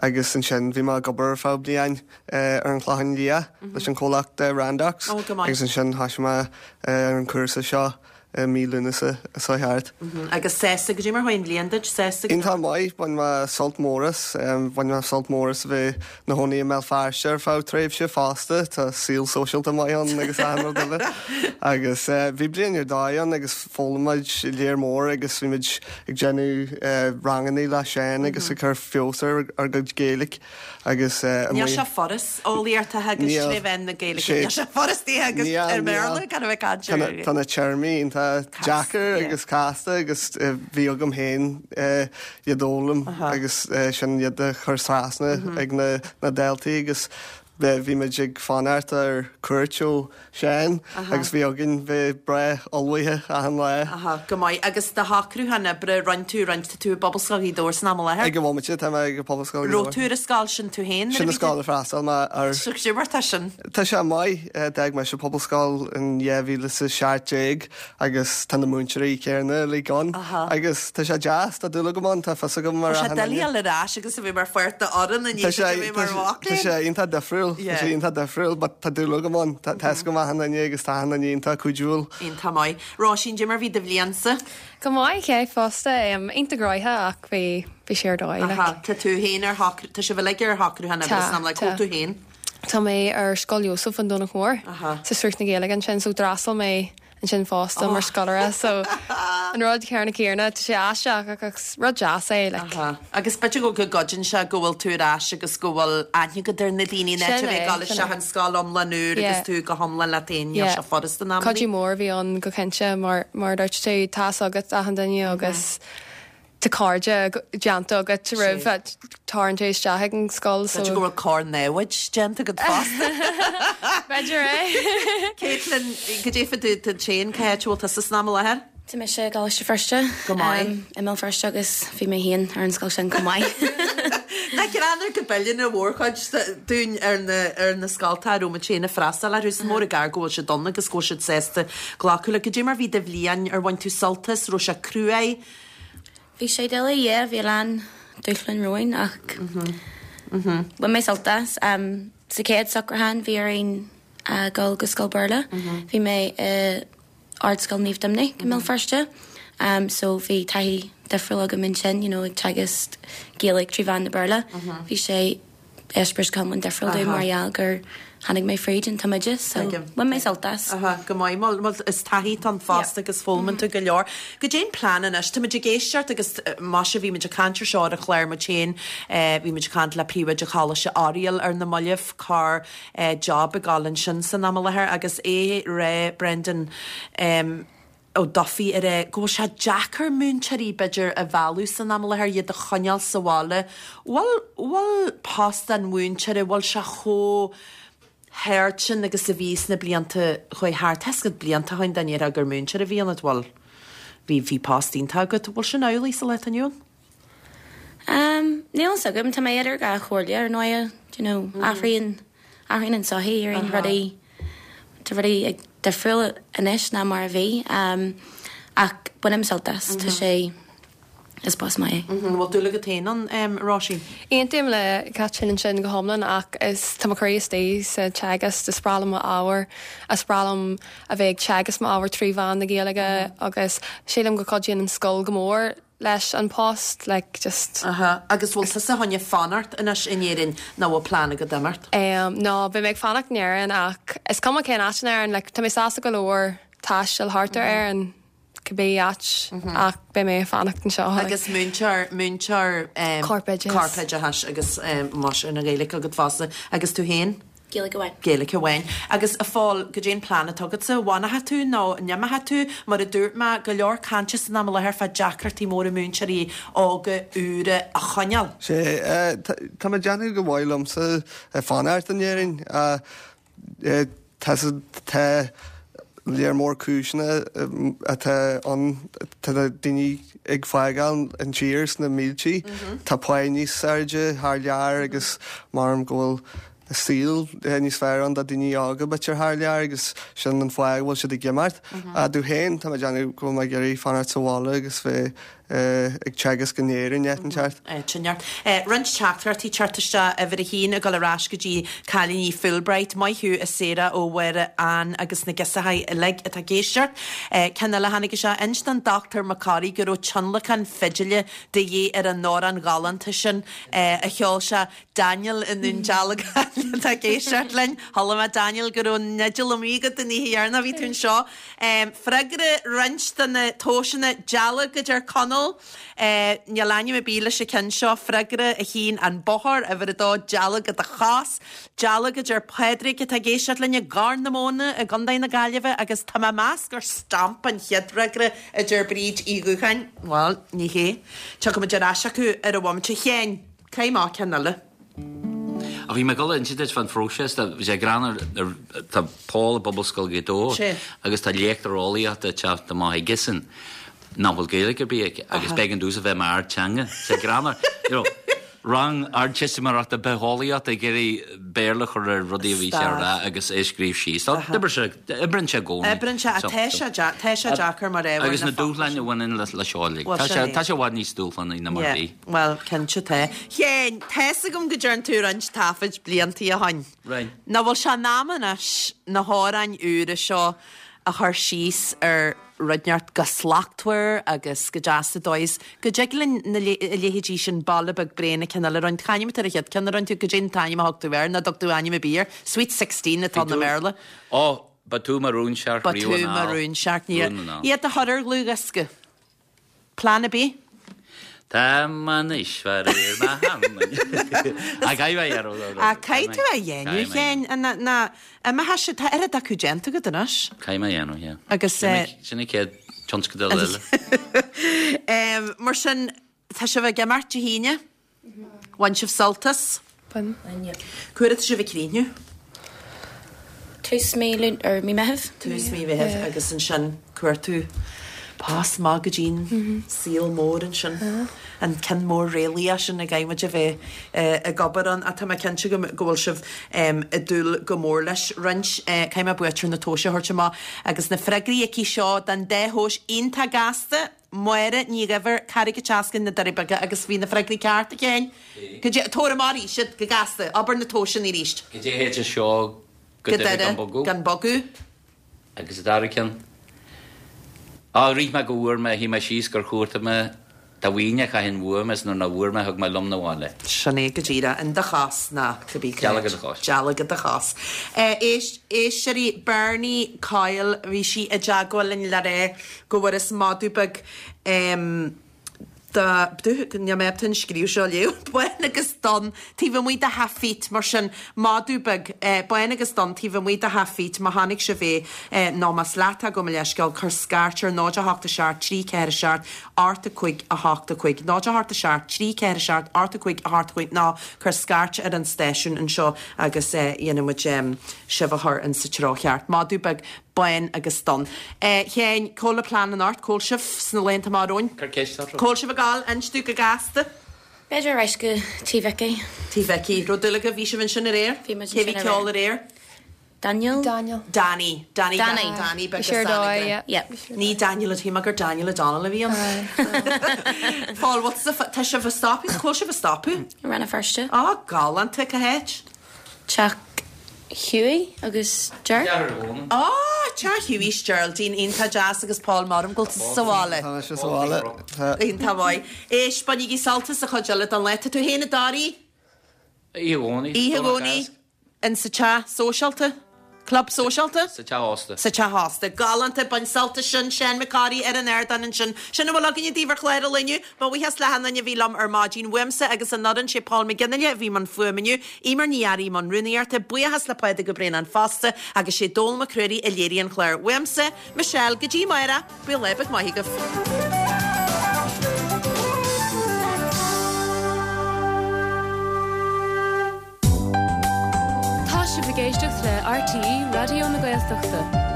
[SPEAKER 7] agus ansin bhí mé ag obair ar feadh bliain ar an Chlochán Liath leis an chomhlacht Randox agus ansin thosaigh mé ar an chúrsa seo i mí Lúnasa seo thart.
[SPEAKER 1] Agus sásta, goidé mar chuaigh an bhliain duit, sásta
[SPEAKER 7] go. Iontach maith, bhain mé sult mór as. Bhain mé sult mór as a bheith 'na chónaí i mBéal Feirste ar feadh tréimhse fosta, tá saol sóisialta maith ann agus achan rud eile. Agus bhí bliain ar dóigh ann agus d'fhoghlaim muid léar mór agus bhí muid ag déanamh rangannaí le Seán agus ag cur feabhas ar ár gcuid Gaeilge.
[SPEAKER 1] Agus Níl sé furast eolaíocht a theagasc tré mheán na Gaeilge. Níl sé furast í a theagasc ar an mBéarla gan a bheith ag caint ar.
[SPEAKER 7] Tá na téarmaí iontach deacair agus casta agus bhí agam féin iad a fhoghlaim agus sin iad a chur trasna ag na daltaí agus bhí muid ag fanacht ar cuairt ó Seán agus bhí againn bheith breá ullmhaithe achan lá.
[SPEAKER 1] Aha, go maith. Agus do shocrúchán oibre, rinne tú roinnt, tá tú i bPobalscoil Ghaoth Dobhair san am i láthair?
[SPEAKER 7] Ag an bhomaite, tá mé ag Pobalscoil
[SPEAKER 1] Ghaoth Dobhair. Raibh tú ar an scoil sin tú féin nuair a bhí
[SPEAKER 7] tú? Sin an scoil a freastal mé
[SPEAKER 1] ar. So goidé mar tá sin?
[SPEAKER 7] Tá sé maith. D'fhág mise Pobalscoil in 2017 agus tá na múinteoirí céanna uilig ann agus tá sé deas, tá dúil agam ann, tá fios agam
[SPEAKER 1] ar achan duine. Tá sé doiligh a dhul ar ais agus a bheith mar pháirt d'fhoireann i ndiaidh duit a bheith mar mhac
[SPEAKER 7] léinn. Tá sé iontach difriúil, tá sé iontach difriúil but tá dúil agam ann, tá fhios agam achan duine agus tá achan duine iontach cuidiúil.
[SPEAKER 1] Iontach maith. Róisín, goidé mar bhí do bhliainsa?
[SPEAKER 8] Go maith, yeah, fosta. Iontach gnóthach ach bhí, bhí sé ar dóigh, like.
[SPEAKER 1] Aha, tá tú féin ar shocrú, tá sibh uilig ar shocrúchán oibre san am, like, cá bhfuil tú féin?
[SPEAKER 8] Tá mé ar Scoil Iósaef an Domhnach Mór, sa Sruth na Gaeilge ansin, so d'fhreastail mé ansin fosta mar scoláire, so an rud céanna céanna, tá sé aisteach ach is rud deas é, like.
[SPEAKER 1] Aha. Agus b'fhéidir go gcuidíonn sé go bhfuil tú ar ais agus go bhfuil aithne agat ar na daoine in áit a bheith ag dul isteach in scoil iomlán úr agus tú go hiomlán leat féin, níl sé furast in amannaí.
[SPEAKER 8] Cuidiú mór a bhí ann go cinnte mar mar a dúirt tú, tá fhios agat achan duine agus Tá cairde déanta agat roimh tarraingt isteach ag an scoil
[SPEAKER 1] so. B'fhéidir go bhfuil cár-namhaid déanta agat fosta.
[SPEAKER 8] B'fhéidir é.
[SPEAKER 1] Caitlin, goidé fá dtaobh duit féin, cá háit a bhfuil tusa san am i láthair?
[SPEAKER 5] Tá mise i gColáiste Feirste.
[SPEAKER 1] Go maith.
[SPEAKER 5] I mBéal Feirste agus bhí mé féin ar an scoil sin chomh maith.
[SPEAKER 1] Nach greannmhar go bpilleann an mhórchuid dúinn ar na ar na scoltacha a raibh muid féin ag freastal orthu. Is mór an gar go bhfuil siad ann agus go bhfuil siad sásta glacadh le. Goidé mar bhí do bhliain, ar bhain tú sult as, raibh sé cruaidh?
[SPEAKER 10] Bhí sé doiligh, yeah, bhí a lán dúshláin romhainn ach bhain mé sult as. Sa chéad socrúchán bhí orainn dul go scoil Béarla. Bhí mé i Ardscoil Naomh Doimnic i mBéal Feirste so bhí taithí difriúil agam ansin, you know, ag teagasc Gaeilge trí mheán na Béarla. Bhí sé eispéireas go hiomlán difriúil domh mar gheall gur tháinig mé fríd an tumoideachas so bhain mé sult as.
[SPEAKER 1] Go maith, bhuel is taithí atá ann fosta agus foghlaimíonn tú go leor. Goidé an plean anois, táimid ag éisteacht agus maise bhí muid ag caint ar seo ar an chlár muid féin, bhí muid ag caint le príomhoide Choláiste Oiriall ar na mallaibh, corr job ag dul ansin san am i láthair agus é ag rá Brendan Ó Dufaigh ag rá go bhfuil sé deacair múinteoirí b'fhéidir a mhealladh san am i láthair, iad a choinneáil sa bhaile. Bhfuil, bhfuil post an mhúinteora, bhfuil sé chomh hard sin agus a bhí sna blianta a chuaigh thart? Tá a fhios agat blianta ó shin dá ndéarfá gur múinteoir a bhí ionat, bhuel, bhí, bhí post iontach agat. Bhfuil sin amhlaidh sa lá atá inniu ann?
[SPEAKER 10] Níl a fhios agam, tá mé idir dhá chomhairle ar ndóighe, do you know, athraíonn, athraíonn an tsochaí, éiríonn rudaí, tá rudaí ag difriúil anois ná mar a bhí, ach bainim sult as, tá sé, is post maith é.
[SPEAKER 1] An bhfuil dúil agat féin ann, Róisín?
[SPEAKER 8] Aontaím le Caitlín ansin go hiomlán ach is, tá mo chroí istigh sa teagasc, is breá liom m'ábhar, is breá liom a bheith ag teagasc m'ábhar trí mheán na Gaeilge agus sílim go gcuidíonn an scoil go mór leis an post like just.
[SPEAKER 1] Aha, agus bhfuil tusa chun fanacht anois in Éirinn nó bhfuil plean agat imeacht?
[SPEAKER 8] Em, no, beidh mé ag fanacht in Éirinn ach is cuma cén áit in Éirinn, like tá mé sásta go leor taisteal thart ar Éirinn, cibé áit ach beidh mé ag fanacht anseo.
[SPEAKER 1] Agus múinteoir, múinteoir em.
[SPEAKER 8] Corpoideachais.
[SPEAKER 1] Corpoideachais agus em más ea an Ghaeilge agat fosta. Agus tú féin?
[SPEAKER 10] Gaeilge amháin.
[SPEAKER 1] Gaeilge amháin. Agus a Phóil, goidé an plean atá agatsa? An bhfanfaidh tú nó an imeochaidh tú? Mar a dúirt mé, go leor cainte san am i láthair fá deacrachtaí móra múinteoirí óga úra a choinneáil.
[SPEAKER 7] Sea, tá mé ag déanamh gur mhaith liomsa fanacht in Éirinn. Tá tá léar mór cúiseanna atá ann, tá na daoine ag fágáil an tír sna míltí, tá pá níos airde thar lear agus measaim go bhfuil saol níos fearr ann do daoine óga b'fhéidir thar lear agus sin an fáth go bhfuil siad ag imeacht. Domh féin, tá mé ag déanamh go bhfuil mé ag iarraidh fanacht sa bhaile agus bheith ag teagasc in Éirinn áit inteacht.
[SPEAKER 1] Áit inteacht. Roinnt teachtaireachtaí ag teacht isteach, uimhir a haon ag dul ar ais go dtí cailíní Fulbright. Maith thú a Sarah ó Mháire Ann agus na girseachaí uilig atá ag éisteacht. Ceann eile a tháinig isteach, inis don Dr Mac Corraidh go raibh tionlacan fidile de dhíth ar an amhrán ghalánta sin a cheol sé. Daniel i nDún Dealgan atá ag éisteacht linn. Chuala mé Daniel go raibh an fhidil amuigh agat an oíche dheireanach a bhí tú anseo. Freagra roinnt de na tomhaiseanna dealg a deir Conall. Níl ainm ar bith leis an ceann seo. Freagra a haon an bóthar, uimhir a dó dealg i do chos. Dealg a deir Pádraig atá ag éisteacht linn i gCorr na Móna i gContae na Gaillimhe agus tá mé ag meas gur stamp an chéad fhreagra a deir Bríd Uí Dhúcháin. Bhuel, ní hé. Tiocfaimid ar ais acu ar an bhomaite. Sheáin. Caith amach ceann eile.
[SPEAKER 9] Ach bhí mé ag dul a inse duit fán phróiseas, tá sé greannmhar, tá Paul i bPobalscoil Ghaoth Dobhair agus tá léachtóir eolaíochta ag teacht amach aigesan nach bhfuil Gaeilge ar bith aici agus b'éigean domhsa bheith mar ardteanga. Tá sé greannmhar, you know, rang ardteistiméireachta bitheolaíochta ag iarraidh Béarla a chur ar rudaí a bhí sé a rá agus é a scríobh síos. Tá, d'oibrigh sé, oibríonn sé i gcónaí.
[SPEAKER 1] Oibríonn sé, ach tá sé, tá sé deacair mar ábhar
[SPEAKER 9] Agus na dúshláin a bhaineann le seo uilig. Tá sé, tá sé i bhfad níos dúshlánaí ná mar a bhí.
[SPEAKER 1] Bhuel, cinnte tá. Sheáin, tá's agam go dtearn tú roinnt taifid bliantaí ó shoin.
[SPEAKER 9] Right.
[SPEAKER 1] Nach bhfuil sé in am anois na hamhráin úra seo a chur síos ar rud inteacht go slachtmhar agus go deas sa dóigh is go dtig linn na a leithéidí sin Baile Beag Bréan an ceann eile a roinnt. Cá ainm atá ar an chéad ceann a rinne tú? Goidé an t-ainm a thug tú air? Ná dtug tú ainm ar bith air? Sweet Sixteen atá ann i mBéarla.
[SPEAKER 9] Ó, ba tú mo rúnsearc
[SPEAKER 1] Ba tú
[SPEAKER 9] riamh
[SPEAKER 1] mo
[SPEAKER 9] anall.
[SPEAKER 1] rúnsearc. Ní
[SPEAKER 9] Rún anall.
[SPEAKER 1] Iad a chur ar dhlúthdhiosca. Plean ar bith?
[SPEAKER 9] Tá anois faraor mo theangain. Ach caithfidh mé a dhéanamh.
[SPEAKER 1] Ach caithfidh tú a dhéanamh, Sheáin. Ná imeochaidh sé, tá oiread acu déanta agat anois.
[SPEAKER 9] Caithfidh mé a dhéanamh, yeah.
[SPEAKER 1] Agus.
[SPEAKER 9] Sin an chéad tionscadal eile.
[SPEAKER 1] Mar sin, tá sibh ag imeacht Dé hAoine? Bhain sibh sult as?
[SPEAKER 8] Bhain.
[SPEAKER 1] Cá huair atá sibh ag críochnú?
[SPEAKER 10] Tús mí Lún, or mí Meithimh.
[SPEAKER 1] Tús mí Mheithimh agus ansin cuartú Pas maith go dtí'n saol mór ansin, an ceann mór réalaíoch sin a gcaithfidh muid a bheith ag obair ann. Ach tá mé cinnte go bhfuil sibh ag dúil go mór leis. Roinnt, caithfidh mé buaiteoir na tomhaise a thabhairt amach agus na freagraí aici seo don dá thomhas iontach gasta, Máire Ní Dhuibhir, Carraig an tSeascainn, Na Doirí Beaga agus bhí na freagraí ceart, a Sheáin. Cad é, tabhair amach arís iad, go gasta, abair na tomhaiseanna arís.
[SPEAKER 9] Cad é théid seo go Doire gan bogadh?
[SPEAKER 1] Gan bogadh.
[SPEAKER 9] Agus an dara ceann? Á, rith mé go bhfuair mé, shuigh mé síos gur chuartaigh mé do mhaoin a chaithfinn uaim is nuair nach bhfuair mé thug mé liom 'na bhaile.
[SPEAKER 1] Sin é go díreach, in do chás ná cibé
[SPEAKER 9] cá Dealg i do chos.
[SPEAKER 1] Dealg i do chos. Éist, éisteoirí, Bernie Coyle, bhí sí i dteagmháil linn le rá go bhfuarthas madadh beag, Níl mé ábalta an scríobh seo a léamh. Bán agus donn taobh amuigh de theach Phete, mar sin, madadh beag, bán agus donn taobh amuigh de theach Phete, má chonaic sibh é, nó más leat é, gabh mo leithscéal, cuir scairt ar 0 8 7 3 4 7 8 5 8 5, 0 8 7 3 4 7 8 5 8 5, nó cuir scairt ar an stáisiún anseo agus dhéanfaidh muid sibh a chur in sa treo cheart. Madadh beag bán agus donn. A Sheáin, cá bhfuil an plean anocht? Cá bhfuil sibh sna laethanta amach romhainn?
[SPEAKER 9] Cuir ceist orthu.
[SPEAKER 1] Cá bhfuil sibh ag gabháil? Inis dúinn go gasta.
[SPEAKER 10] B'fhéidir ar ais go Tí Mhicí.
[SPEAKER 1] Tí Mhicí. Raibh dúil agaibh? Bhí sibh ansin aréir?
[SPEAKER 10] Bhí muid ansin
[SPEAKER 1] aréir. Cé bhí ceol aréir?
[SPEAKER 10] Daniel.
[SPEAKER 8] Daniel.
[SPEAKER 1] Danny. Danny.
[SPEAKER 10] Danny.
[SPEAKER 1] Danny beag
[SPEAKER 8] Bhí sé ar dóigh, yeah.
[SPEAKER 10] Yeah.
[SPEAKER 1] Ní Daniel, shíl mé gur Daniel O'Donnell a bhí ann. Pól, what's the, tá sibh ag stopadh? Cá bhfuil sibh ag stopadh?
[SPEAKER 10] I Rann na Feirste.
[SPEAKER 1] Á, galánta, cá háit?
[SPEAKER 10] Teach Hughie agus Ger.
[SPEAKER 1] Á, Teach Hughie 's Geraldine, iontach deas agus Paul maram go bhfuil tú sa bhaile.
[SPEAKER 7] Tá mise sa bhaile. Tá.
[SPEAKER 1] Iontach maith. Éist, bainigí sult as an chuid eile den lá. Tá tú féin i dToraí?
[SPEAKER 9] Oíche Dhomhnaigh.
[SPEAKER 1] Oíche Dhomhnaigh. In sa teach sóisialta? Club sóisialta?
[SPEAKER 9] Sa teach ósta.
[SPEAKER 1] Sa teach ósta. Galánta, bain sult as sin, Seán Mac Corraidh ar an ardán ansin. Sin a bhfuil againne daoibh ar chlár an lae inniu. Mo bhuíochas le hachan duine a bhí liom ar maidin uaimse agus an fhoireann, sé Paul Mac Fhionnghaile a bhí i mbun fuaime inniu, Eimear Ní Fhearraigh i mbun rúnaíochta, buíochas le Pádraig Ó Braonáin fosta agus sé Dónal Mac Ruairí a léirigh an clár. Uaimse, Michelle, go dtí amárach, bíodh lá beag maith agaibh.
[SPEAKER 11] Tá sibh ag éisteacht le RTÉ Raidió na Gaeltachta.